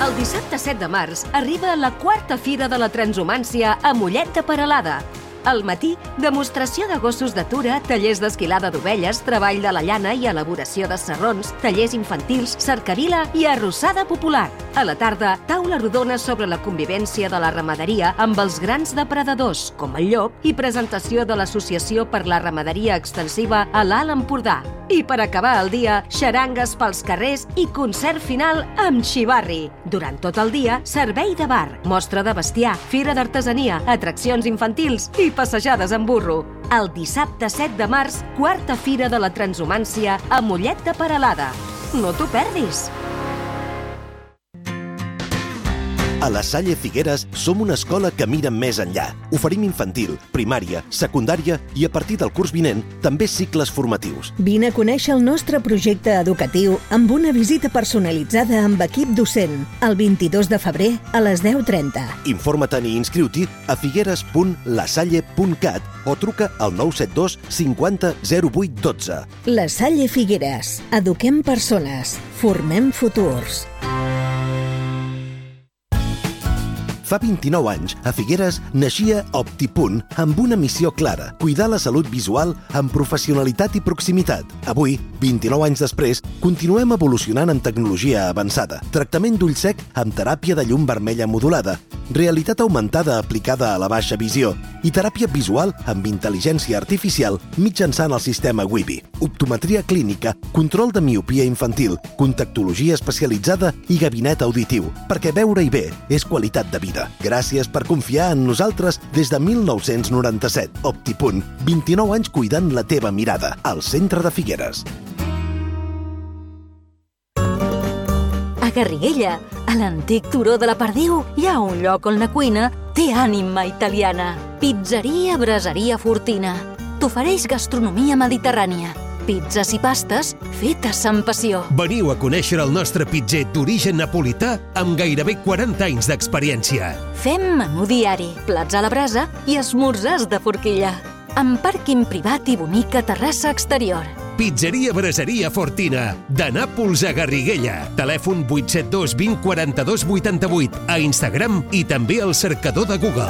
El dissabte set de març arriba la quarta Fira de la Transhumància a Mollet de Peralada. Al matí, demostració de gossos d'atura, tallers d'esquilada d'ovelles, treball de la llana i elaboració de sarrons, tallers infantils, cercavila i arrossada popular. A la tarda, taula rodona sobre la convivència de la ramaderia amb els grans depredadors, com el llop, i presentació de l'Associació per la Ramaderia Extensiva a l'Alt Empordà. I per acabar el dia, xarangues pels carrers i concert final amb xivarri. Durant tot el dia, servei de bar, mostra de bestiar, fira d'artesania, atraccions infantils i passejades en burro. El dissabte set de març, quarta Fira de la Transhumància a Mollet de Peralada. No t'ho perdis! A la Salle Figueres som una escola que mira més enllà. Oferim infantil, primària, secundària i a partir del curs vinent també cicles formatius. Vine a conèixer el nostre projecte educatiu amb una visita personalitzada amb equip docent el vint-i-dos de febrer a les deu trenta. Informa-te'n i inscriu-t'hi a figueres punt lasalle punt cat o truca al nou set dos cinquanta zero vuit dotze. La Salle Figueres. Eduquem persones. Formem futurs. Fa vint-i-nou anys, a Figueres naixia OptiPunt amb una missió clara, cuidar la salut visual amb professionalitat i proximitat. Avui, vint-i-nou anys després, continuem evolucionant amb tecnologia avançada, tractament d'ull sec amb teràpia de llum vermella modulada, realitat augmentada aplicada a la baixa visió i teràpia visual amb intel·ligència artificial mitjançant el sistema Wibi, optometria clínica, control de miopia infantil, contactologia especialitzada i gabinet auditiu, perquè veure-hi bé és qualitat de vida. Gràcies per confiar en nosaltres des de mil nou-cents noranta-set. OptiPunt, vint-i-nou anys cuidant la teva mirada, al centre de Figueres. A Garriguella, a l'antic turó de la Perdiu, hi ha un lloc on la cuina té ànima italiana. Pizzeria Braseria Fortina. T'ofereix gastronomia mediterrània. Pizzas i pastes fetes amb passió. Veniu a conèixer el nostre pitzer d'origen napolità amb gairebé quaranta anys d'experiència. Fem menú diari, plats a la brasa i esmorzars de forquilla. Amb pàrquing privat i bonica terrassa exterior. Pizzeria Braseria Fortina, de Nàpols a Garriguella. Telèfon vuit set dos vint quaranta-dos vuitanta-vuit, a Instagram i també al cercador de Google.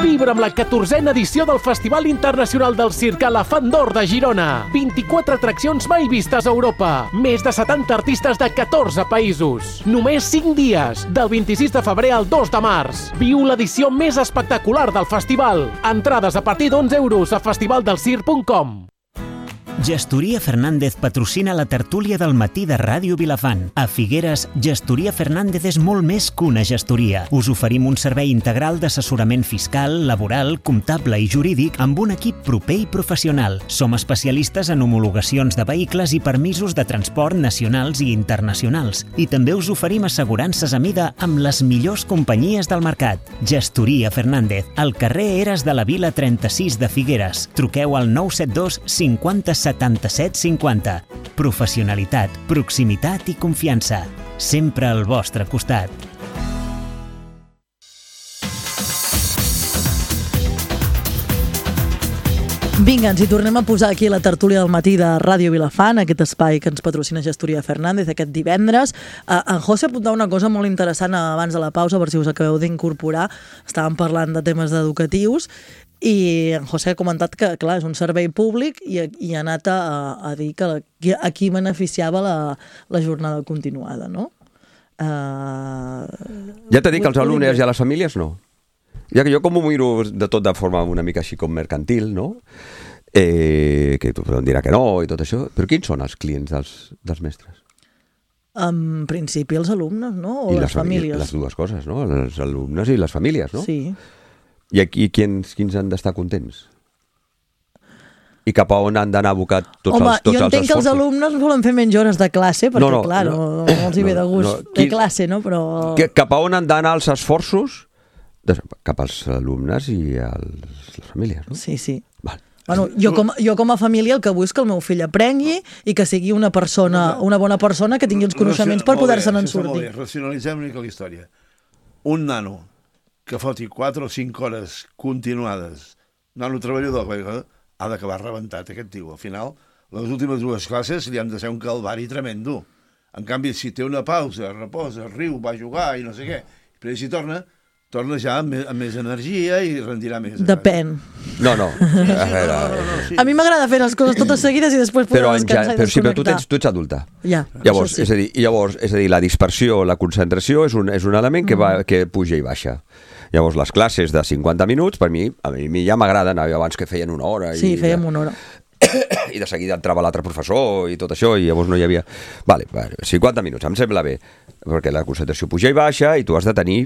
Vibra amb la catorzena edició del Festival Internacional del Circ a la Fan d'Or de Girona. vint-i-quatre atraccions mai vistes a Europa. Més de setanta artistes de catorze països. Només cinc dies, del vint-i-sis de febrer al dos de març. Viu l'edició més espectacular del festival. Entrades a partir d'onze euros a festivaldelscirc punt com. Gestoria Fernández patrocina la tertúlia del matí de Ràdio Vilafant. A Figueres, Gestoria Fernández és molt més que una gestoria. Us oferim un servei integral d'assessorament fiscal, laboral, comptable i jurídic amb un equip proper i professional. Som especialistes en homologacions de vehicles i permisos de transport nacionals i internacionals. I també us oferim assegurances a mida amb les millors companyies del mercat. Gestoria Fernández, al carrer Eres de la Vila trenta-sis de Figueres. Truqueu al nou set dos cinquanta setanta-set cinquanta. Professionalitat, proximitat i confiança. Sempre al vostre costat. Vinga, ens hi tornem a posar aquí a la tertúlia del matí de Ràdio Vilafant, aquest espai que ens patrocina Gestoria Fernández aquest divendres. Uh, en José apuntava una cosa molt interessant abans de la pausa, per si us acabeu d'incorporar. Estàvem parlant de temes educatius i en José ha comentat que, clar, és un servei públic i, i ha anat a, a dir que la, a qui beneficiava la, la jornada continuada, no? Uh... Ja t'he dit que els alumnes i a les famílies no. Ja que jo com ho miro de tot de forma una mica així com mercantil, no? Eh, que tothom dirà que no i tot això, però quins són els clients dels, dels mestres? En principi els alumnes, no? O I les, les famílies. Les dues coses, no? Els alumnes i les famílies, no? Sí. I aquí quins, quins han d'estar contents? I cap a on han d'anar abocat tots Home, els tots els esforços? Home, jo entenc que els alumnes volen fer menys hores de classe, perquè, no, no, clar, no, no, no els hi ve de gust no, no. Qui... de classe, no? Però... Que, cap a on han d'anar els esforços? De, cap als alumnes i als, les famílies, no? Sí, sí. Val. Bueno, jo, com, jo com a família el que vull és que el meu fill aprengui i que sigui una persona, una bona persona que tingui els coneixements per poder-se'n sortir. Racionalitzem una mica la història. Un nano que foti quatre o cinc hores continuades, nano treballador, ha d'acabar rebentat aquest tio. Al final, les últimes dues classes li han de ser un calvari tremendo. En canvi, si té una pausa, reposa, riu, va a jugar i no sé què, però si torna, torna ja amb més, amb més energia i rendirà més. Depèn. No, no. Sí, sí, no, no, no, no, sí. A mi m'agrada fer les coses totes seguides i després poder descansar i però, sí, però desconnectar. tu, tens, tu ets adulta. Ja, llavors, sí. és a dir, llavors, és a dir, la dispersió, la concentració és un, és un element que, va, que puja i baixa. Llavors, les classes de cinquanta minuts, per mi, a mi ja m'agraden, abans que feien una hora. Sí, i, fèiem una hora. I de seguida entrava l'altre professor i tot això, i llavors no hi havia... Vale, cinquanta minuts, em sembla bé, perquè la concentració puja i baixa i tu has de tenir...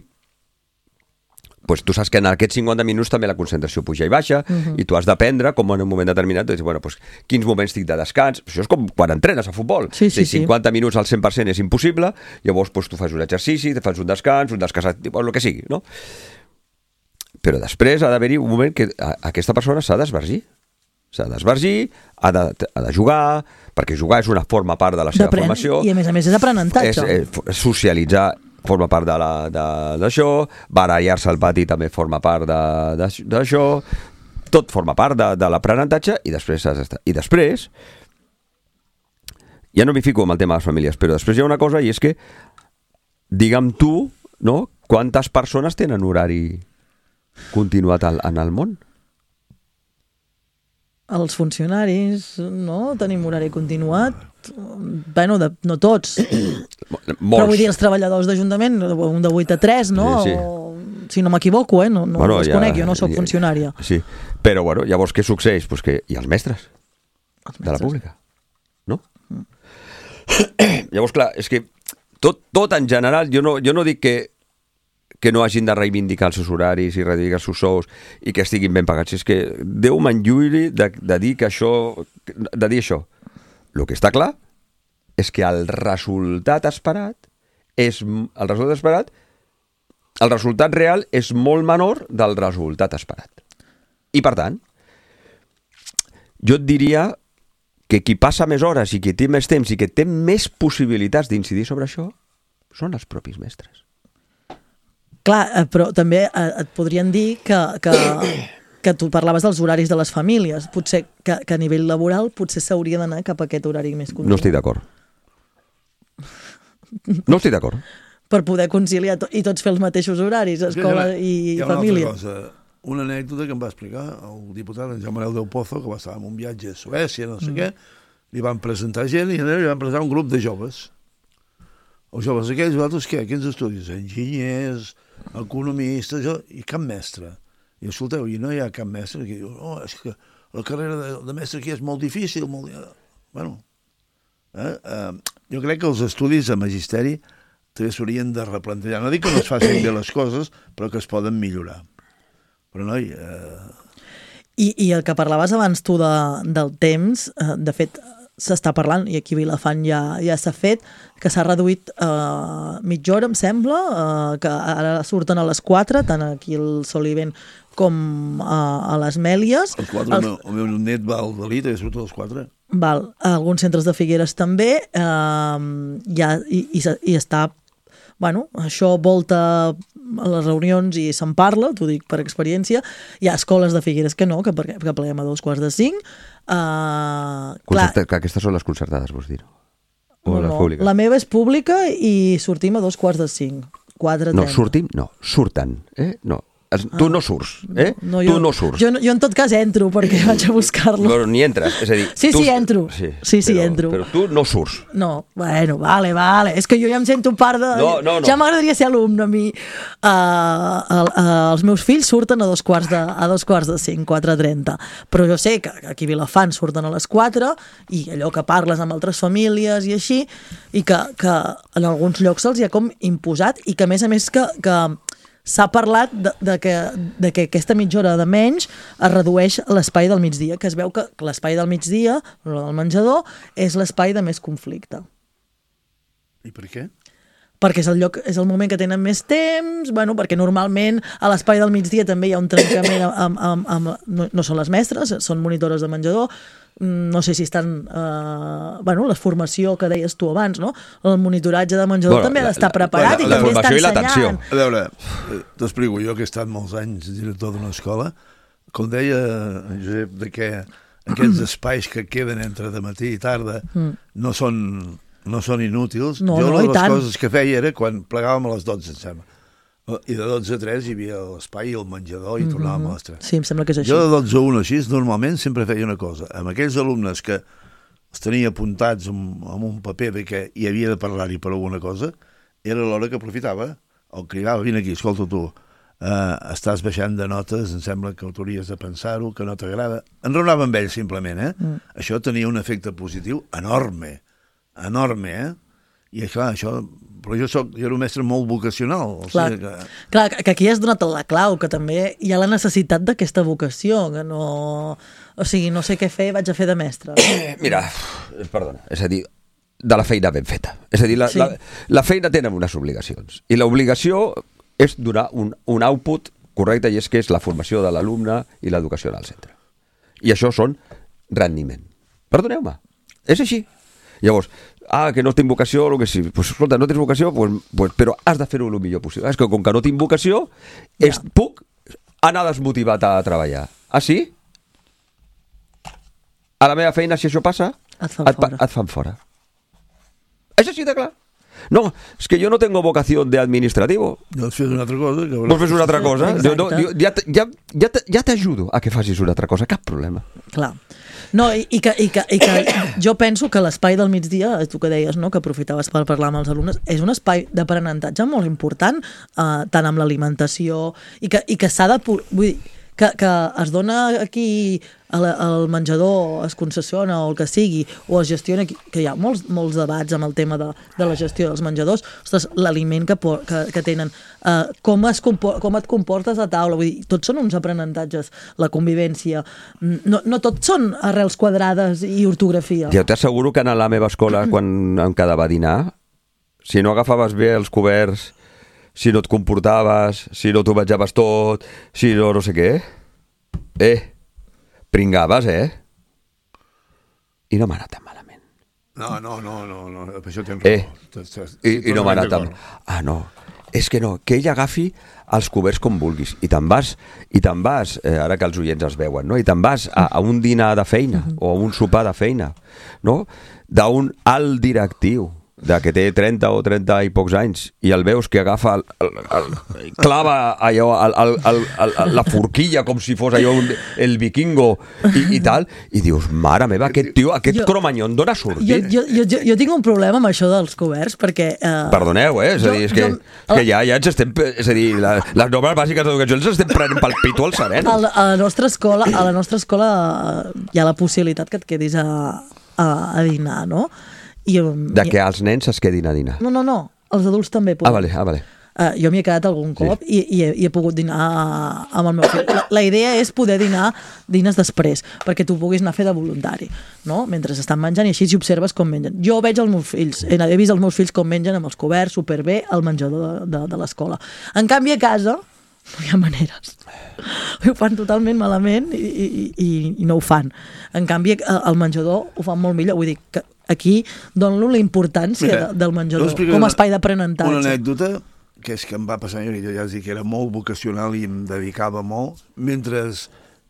Pues tu saps que en aquests cinquanta minuts també la concentració puja i baixa, uh-huh. i tu has d'aprendre com en un moment determinat, dir, bueno, pues, quins moments tinc de descans. Això és com quan entrenes a futbol. Sí, sí, sí. cinquanta minuts al cent per cent és impossible, llavors pues, tu fas un exercici, te fas un descans, un descans, el que sigui, no? Però després ha d'haver-hi un moment que aquesta persona s'ha d'esvergir. S'ha d'esvergir, ha, de, ha de jugar, perquè jugar és una forma part de la seva formació. I a més a més és aprenentatge. És, és socialitzar forma part d'això, barallar-se al pati també forma part d'això, tot forma part de, de l'aprenentatge i després has d'estar. I després, ja no m'hi fico amb el tema de les famílies, però després hi ha una cosa i és que, digue'm tu, no? Quantes persones tenen horari continuat al, en el món? Els funcionaris, no? Tenim horari continuat. Bueno, de, no tots. Molts. Però vull dir, els treballadors d'Ajuntament, un de vuit a tres, no? Sí, sí. O, si no m'equivoco, eh? No, no bueno, els ja, conec, jo no sóc ja, funcionària. Sí, però bueno, llavors què succeeix? Pues que hi ha els mestres, els mestres de la pública, no? Mm. Llavors, clar, és que tot, tot en general, jo no, jo no dic que que no hagin de reivindicar els seus horaris i reivindicar els seus sous i que estiguin ben pagats. És que Déu m'enlluiri de, de dir que això, de dir això. El que està clar és que el resultat esperat és, el resultat esperat, el resultat real és molt menor del resultat esperat. I per tant, jo et diria que qui passa més hores i qui té més temps i que té més possibilitats d'incidir sobre això són els propis mestres. Clar, però també et podrien dir que, que, que tu parlaves dels horaris de les famílies. Potser que, que a nivell laboral potser s'hauria d'anar cap a aquest horari més continuat. No estic d'acord. No estic d'acord. Per poder conciliar to i tots fer els mateixos horaris, escola i, i família. Cosa. una anècdota que em va explicar el diputat en Joan Manuel del Pozo, que va estar en un viatge a Suècia, no sé mm. què, li van presentar gent i li van presentar un grup de joves. Els joves aquells, vosaltres què? Quins estudis? Enginyers, economistes, jo, i cap mestre. I escolteu, i no hi ha cap mestre que diu, no, és que la carrera de, de mestre aquí és molt difícil, molt... Bueno, eh? Eh, jo crec que els estudis de magisteri també s'haurien de replantejar. No dic que no es facin bé les coses, però que es poden millorar. Però, noi... Eh... I, I el que parlaves abans tu de, del temps, eh, de fet, s'està parlant, i aquí a Vilafant ja, ja s'ha fet, que s'ha reduït eh, mitja hora, em sembla, eh, que ara surten a les quatre, tant aquí al Sol i Vent com a, a les Mèlies. Els quatre, els... el meu net va al Dalí, també surt a les quatre. Val, alguns centres de Figueres també, eh, ja, i, i, i està, bueno, això volta a les reunions i se'n parla, t'ho dic per experiència. Hi ha escoles de Figueres que no, que, que pleguem a dos quarts de cinc. Uh, Concerta, clar, aquestes són les concertades, vols dir? O no, les públiques? La meva és pública i sortim a dos quarts de cinc. quatre trenta. No, sortim, no, surten, eh? No. Tu no surts, eh? No, tu jo, no surts. Jo, jo en tot cas entro perquè vaig a buscar-lo. Però ni entres, és a dir... Sí, tu... sí, entro. Sí, sí, sí però, entro. Però tu no surts. No, bueno, vale, vale. És que jo ja em sento part de... No, no, no. Ja m'agradaria ser alumne a mi. Uh, el, uh, els meus fills surten a dos quarts de, a dos quarts de cinc, quatre trenta. Però jo sé que aquí a Vilafant surten a les quatre i allò que parles amb altres famílies i així, i que, que en alguns llocs se'ls hi ha com imposat i que a més a més que... que s'ha parlat de, de, que, de que aquesta mitja hora de menys es redueix l'espai del migdia, que es veu que l'espai del migdia, el del menjador, és l'espai de més conflicte. I per què? Perquè és el lloc, és el moment que tenen més temps, bueno, perquè normalment a l'espai del migdia també hi ha un trencament amb, amb, amb, no, no són les mestres, són monitores de menjador, no sé si estan eh, bueno, la formació que deies tu abans, no? El monitoratge de menjador bueno, també ha d'estar preparat la, la, i també està ensenyant. A veure, t'explico, jo que he estat molts anys director d'una escola, com deia Josep, de que aquests espais que queden entre de matí i tarda mm. no són no són inútils. No, jo no, una de les tant. coses que feia era quan plegàvem a les dotze, em sembla. I de dotze a tres hi havia l'espai i el menjador i mm-hmm. tornàvem a les tres. Sí, em sembla que és així. Jo de dotze a una així, normalment sempre feia una cosa. Amb aquells alumnes que els tenia apuntats amb, amb un paper de que hi havia de parlar-hi per alguna cosa, era l'hora que aprofitava, el cridava, vine aquí, escolta tu, eh, estàs baixant de notes, em sembla que hauries de pensar-ho, que no t'agrada. Enraonava amb ells, simplement, eh? Mm. Això tenia un efecte positiu enorme, enorme, eh? I clar, això... Però jo, soc, jo era un mestre molt vocacional. O clar, sigui que... clar, que aquí has donat la clau, que també hi ha la necessitat d'aquesta vocació, que no... O sigui, no sé què fer, vaig a fer de mestre. Mira, perdona, és a dir, de la feina ben feta. És a dir, la, sí. la, la feina tenen unes obligacions. I l'obligació és donar un, un output correcte, i és que és la formació de l'alumne i l'educació en el centre. I això són rendiment. Perdoneu-me, és així. Llavors, ah, que no tinc vocació, o que sí. Pues, escolta, no tens vocació, pues, pues, però has de fer-ho el millor possible. És que com que no tinc vocació, ja. és, puc anar desmotivat a treballar. Ah, sí? A la meva feina, si això passa, et fan, et, fora. et fan fora. És així de clar. No, és que jo no tengo vocació de administrativo. Doncs fes una altra cosa. Que Vols fer una altra cosa? Jo, no, jo, ja ja, ja, ja t'ajudo a que facis una altra cosa, cap problema. Clar. No, i, i, que, i, que, i que jo penso que l'espai del migdia, tu que deies, no?, que aprofitaves per parlar amb els alumnes, és un espai d'aprenentatge molt important, eh, tant amb l'alimentació, i que, i que s'ha de... Vull dir, que, que es dona aquí al menjador, es concessiona o el que sigui, o es gestiona, que hi ha molts, molts debats amb el tema de, de la gestió dels menjadors. Ostres, l'aliment que, que, que tenen, eh, com, es compor, com et comportes a taula, vull dir, tots són uns aprenentatges, la convivència, no, no tots són arrels quadrades i ortografia. Jo t'asseguro que en la meva escola, quan em quedava a dinar, si no agafaves bé els coberts, si no et comportaves, si no t'ho menjaves tot, si no no sé què, eh, pringaves, eh? I no m'ha anat tan malament. No, no, no, no, no. Per això tens eh, raó. I, i no m'ha anat tan... Ah, no, és que no, que ell agafi els coberts com vulguis, i te'n vas, i te'n vas, eh, ara que els oients es veuen, no? I te'n vas a, a un dinar de feina, o a un sopar de feina, no? D'un alt directiu, de que té trenta o trenta i pocs anys i el veus que agafa el, el, el, el clava allò el, el, el, el, la forquilla com si fos allò un, el vikingo i, i tal, i dius, mare meva, aquest tio, aquest jo, cromanyon d'on ha sortit? Jo, jo, jo, jo tinc un problema amb això dels coberts perquè... Uh, Perdoneu, eh? És a dir, és que, jo, és que ja, ja ens estem... És a dir, la, les normes bàsiques d'educació ens estem prenent pel pito al sereno. A la, a la nostra escola, a la nostra escola hi ha la possibilitat que et quedis a, a, a dinar, no? I, de que els nens es quedin a dinar. No, no, no, els adults també poden. Ah, vale, ah, vale. Uh, jo m'hi he quedat algun cop sí. i, i, he, i he pogut dinar amb el meu fill. La, la idea és poder dinar dines després, perquè tu puguis anar a fer de voluntari, no? Mentre estan menjant i així si observes com mengen. Jo veig els meus fills, he, he vist els meus fills com mengen amb els coberts superbé al menjador de, de, de l'escola. En canvi a casa no hi ha maneres. Ho fan totalment malament i, i, i, i no ho fan. En canvi al menjador ho fan molt millor. Vull dir que aquí dono la importància Mira, del menjador com a espai d'aprenentatge. Una anècdota que és que em va passar, jo ja us dic que era molt vocacional i em dedicava molt. Mentre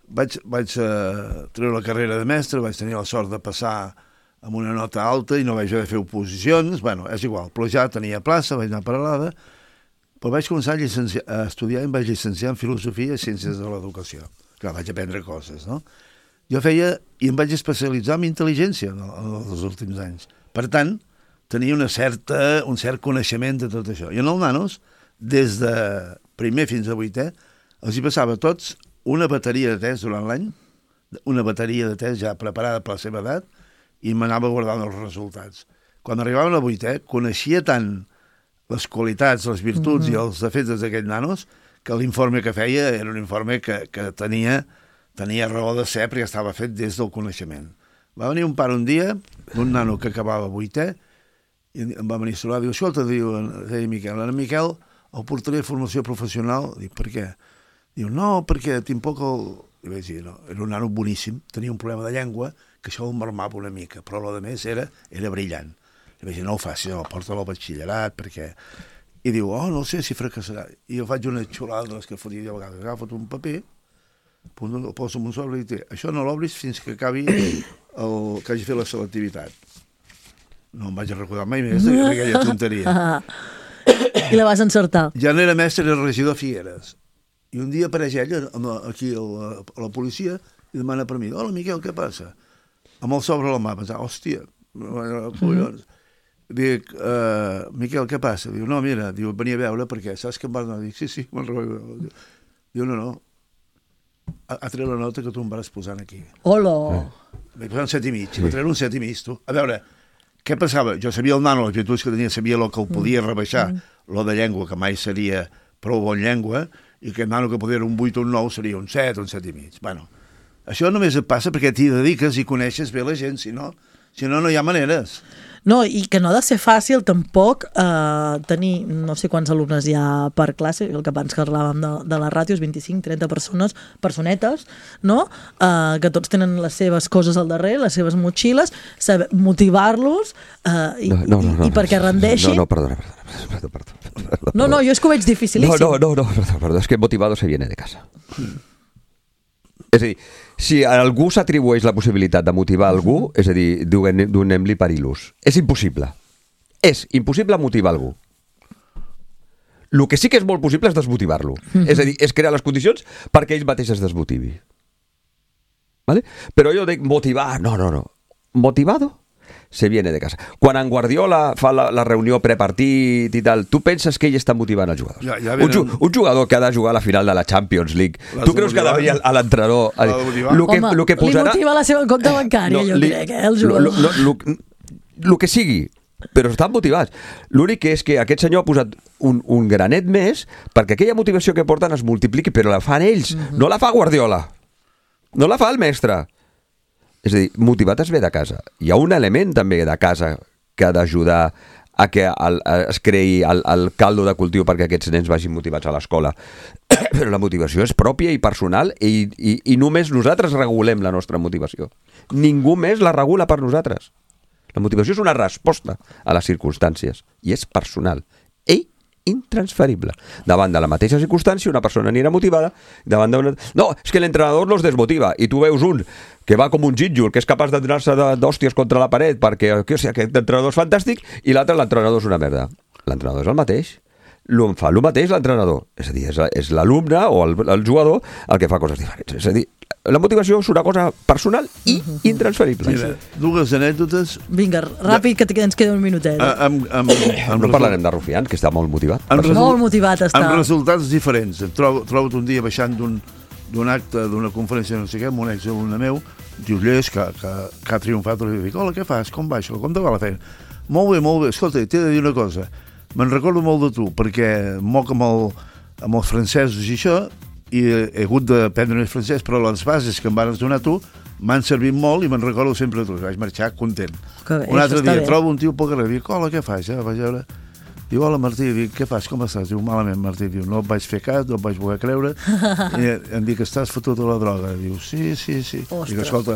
vaig, vaig uh, treure la carrera de mestre, vaig tenir la sort de passar amb una nota alta i no vaig haver de fer oposicions. Bueno, és igual, però ja tenia plaça, vaig anar a Peralada, però vaig començar a, a estudiar i em vaig llicenciar en Filosofia i Ciències de l'Educació. Clar, vaig aprendre coses, no? Jo feia, i em vaig especialitzar en intel·ligència en, en els últims anys. Per tant, tenia una certa, un cert coneixement de tot això. I en els nanos, des de primer fins a vuitè, els hi passava a tots una bateria de test durant l'any, una bateria de test ja preparada per la seva edat, i m'anava guardant els resultats. Quan arribaven a vuitè, coneixia tant les qualitats, les virtuts mm-hmm. i els defectes d'aquests nanos, que l'informe que feia era un informe que, que tenia, tenia raó de ser perquè estava fet des del coneixement. Va venir un pare un dia, d'un nano que acabava vuitè, i em va venir a saludar, diu, escolta, diu, deia Miquel, ara Miquel, el portaré a formació professional. Dic, per què? Diu, no, perquè tinc poc el... I vaig dir, no, era un nano boníssim, tenia un problema de llengua, que això el marmava una mica, però el que més era, era brillant. I vaig dir, no ho facis, no, porta-lo al batxillerat, perquè... I diu, oh, no sé si fracassarà. I jo faig una xulada de les que fotia jo a vegades. Agafa't un paper, el poso en un sobre i dic, això no l'obris fins que acabi el que hagi fet la selectivitat. No em vaig a recordar mai més d'aquella tonteria. I la vas encertar. Ja no era mestre, era regidor de Figueres. I un dia apareix ella aquí a la, a la policia i demana per mi, hola Miquel, què passa? Amb el sobre a la mà, pensava, hòstia, collons. Dic, uh, Miquel, què passa? Diu, no, mira, diu, venia a veure perquè saps que em vas anar? Dic, sí, sí, me'n recordo. Diu, no, no, ha, ha tret la nota que tu em vas posant aquí. Hola! Eh. Vaig posar un set i mig, sí. Va treure un set i mig, tu. A veure, què passava? Jo sabia el nano, les virtuts que tenia, sabia el que el podia rebaixar, mm. lo de llengua, que mai seria prou bon llengua, i que el nano que podia un vuit o un nou seria un set o un set i mig. Bueno, això només et passa perquè t'hi dediques i coneixes bé la gent, si no, si no, no hi ha maneres. No, i que no ha de ser fàcil tampoc eh, tenir, no sé quants alumnes hi ha per classe, el que abans que parlàvem de, de les ràtios, vint-i-cinc trenta persones, personetes, no? Eh, que tots tenen les seves coses al darrere, les seves motxilles, saber motivar-los eh, i, no, no, no, no, i perquè rendeixin... No, no, perdona, perdona, perdona, perdona, perdona. No, no, jo és que ho veig dificilíssim. No, no, no, no perdona, perdona, és que motivado se viene de casa. És a dir, si a algú s'atribueix la possibilitat de motivar algú, és a dir, donem-li per il·lus. És impossible. És impossible motivar algú. El que sí que és molt possible és desmotivar-lo. Mm-hmm. És a dir, és crear les condicions perquè ell mateix es desmotivi. ¿Vale? Però jo dic motivar, no, no, no. Motivado se viene de casa. Quan en Guardiola fa la, la reunió prepartit i tal, tu penses que ell està motivant els jugadors? Ja, ja un, ju un jugador que ha de jugar a la final de la Champions League, tu creus que ha de venir a l'entrenador a dir, lo que, home, lo que posarà... li motiva la seva compte bancària, no, jo li, crec, eh, el jugador. Lo, lo, lo, lo que sigui, però estan motivats. L'únic que és que aquest senyor ha posat un, un granet més perquè aquella motivació que porten es multipliqui, però la fan ells, mm-hmm. no la fa Guardiola, no la fa el mestre. És a dir, motivat es ve de casa. Hi ha un element també de casa que ha d'ajudar a que el, es creï el, el caldo de cultiu perquè aquests nens vagin motivats a l'escola. Però la motivació és pròpia i personal i, i, i només nosaltres regulem la nostra motivació. Ningú més la regula per nosaltres. La motivació és una resposta a les circumstàncies i és personal. Ell intransferible. Davant de la mateixa circumstància, una persona anirà motivada, davant d'una... No, és que l'entrenador los desmotiva, i tu veus un que va com un gínjol, que és capaç de donar-se d'hòsties contra la paret, perquè o sigui, aquest entrenador és fantàstic, i l'altre, l'entrenador és una merda. L'entrenador és el mateix. Lo, fa el mateix l'entrenador. És a dir, és l'alumne o el, el jugador el que fa coses diferents. És a dir, la motivació és una cosa personal i intransferible. Mira, dues anècdotes... Vinga, ràpid, que ens queda un minutet. A, amb, amb, amb no parlarem de Rufián, que està molt motivat. Amb molt motivat està. Amb resultats diferents. Trobo, trobo un dia baixant d'un d'un acte, d'una conferència, no sé què, amb un exalumne meu, diu, Lleis, que, que, que ha triomfat, i dic, hola, què fas? Com va això? Com te va la feina? Molt bé, molt bé. Escolta, t'he de dir una cosa. Me'n recordo molt de tu, perquè moc amb, el, amb els francesos i això, i he, he hagut d'aprendre més francès, però les bases que em van donar tu m'han servit molt i me'n recordo sempre de tu. Vaig marxar content. Que bé, un altre dia bé. trobo un tio pel carrer, dic, hola, què fas? Ja, vaig veure... Diu, hola, Martí, dic, què fas, com estàs? Diu, malament, Martí, diu, no et vaig fer cas, no et vaig voler creure, i em dic, estàs fotut a la droga. Diu, sí, sí, sí. Ostres. Dic, escolta,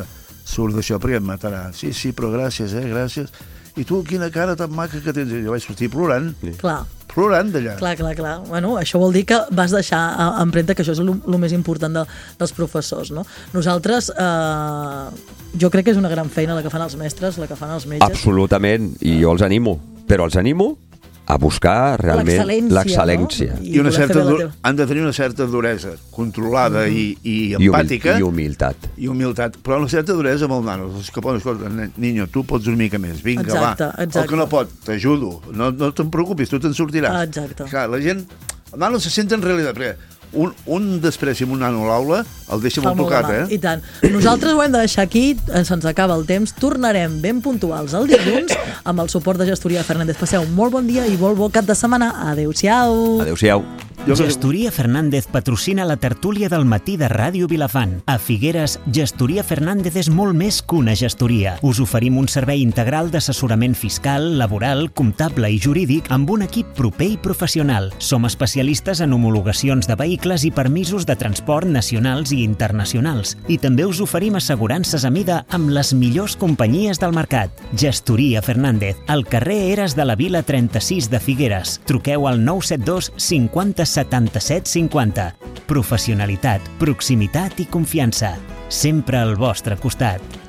surt d'això perquè em matarà. Sí, sí, però gràcies, eh, gràcies. I tu, quina cara tan maca que tens. I jo vaig sortir plorant. Clar. Plorant d'allà. Clar, clar, clar. Bueno, això vol dir que vas deixar empremta, que això és el més important de, dels professors, no? Nosaltres, eh, jo crec que és una gran feina la que fan els mestres, la que fan els metges. Absolutament, i jo els animo. Però els animo a buscar realment l'excel·lència. No? I, I una certa dur... han de tenir una certa duresa controlada mm. i, i empàtica. I humilitat. I humilitat. Però una certa duresa amb el nano. És que, escolta, niño, tu pots una mica més. Vinga, exacte, va. Exacte. El que no pot, t'ajudo. No, no te'n preocupis, tu te'n sortiràs. Exacte. Clar, la gent... El nano se sent en realitat, perquè un, un després amb un nano a l'aula el deixa molt tocat, eh? I tant. Nosaltres ho hem de deixar aquí, se'ns acaba el temps. Tornarem ben puntuals el dilluns amb el suport de Gestoria Fernández. Passeu un molt bon dia i molt bon cap de setmana. Adéu-siau. Adéu-siau. Gestoria Fernández patrocina la tertúlia del matí de Ràdio Vilafant. A Figueres, Gestoria Fernández és molt més que una gestoria. Us oferim un servei integral d'assessorament fiscal, laboral, comptable i jurídic amb un equip proper i professional. Som especialistes en homologacions de vehicles i permisos de transport nacionals i internacionals. I també us oferim assegurances a mida amb les millors companyies del mercat. Gestoria Fernández, al carrer Eres de la Vila trenta-sis de Figueres. Truqueu al nou set dos cinquanta setanta-set cinquanta. Professionalitat, proximitat i confiança. Sempre al vostre costat.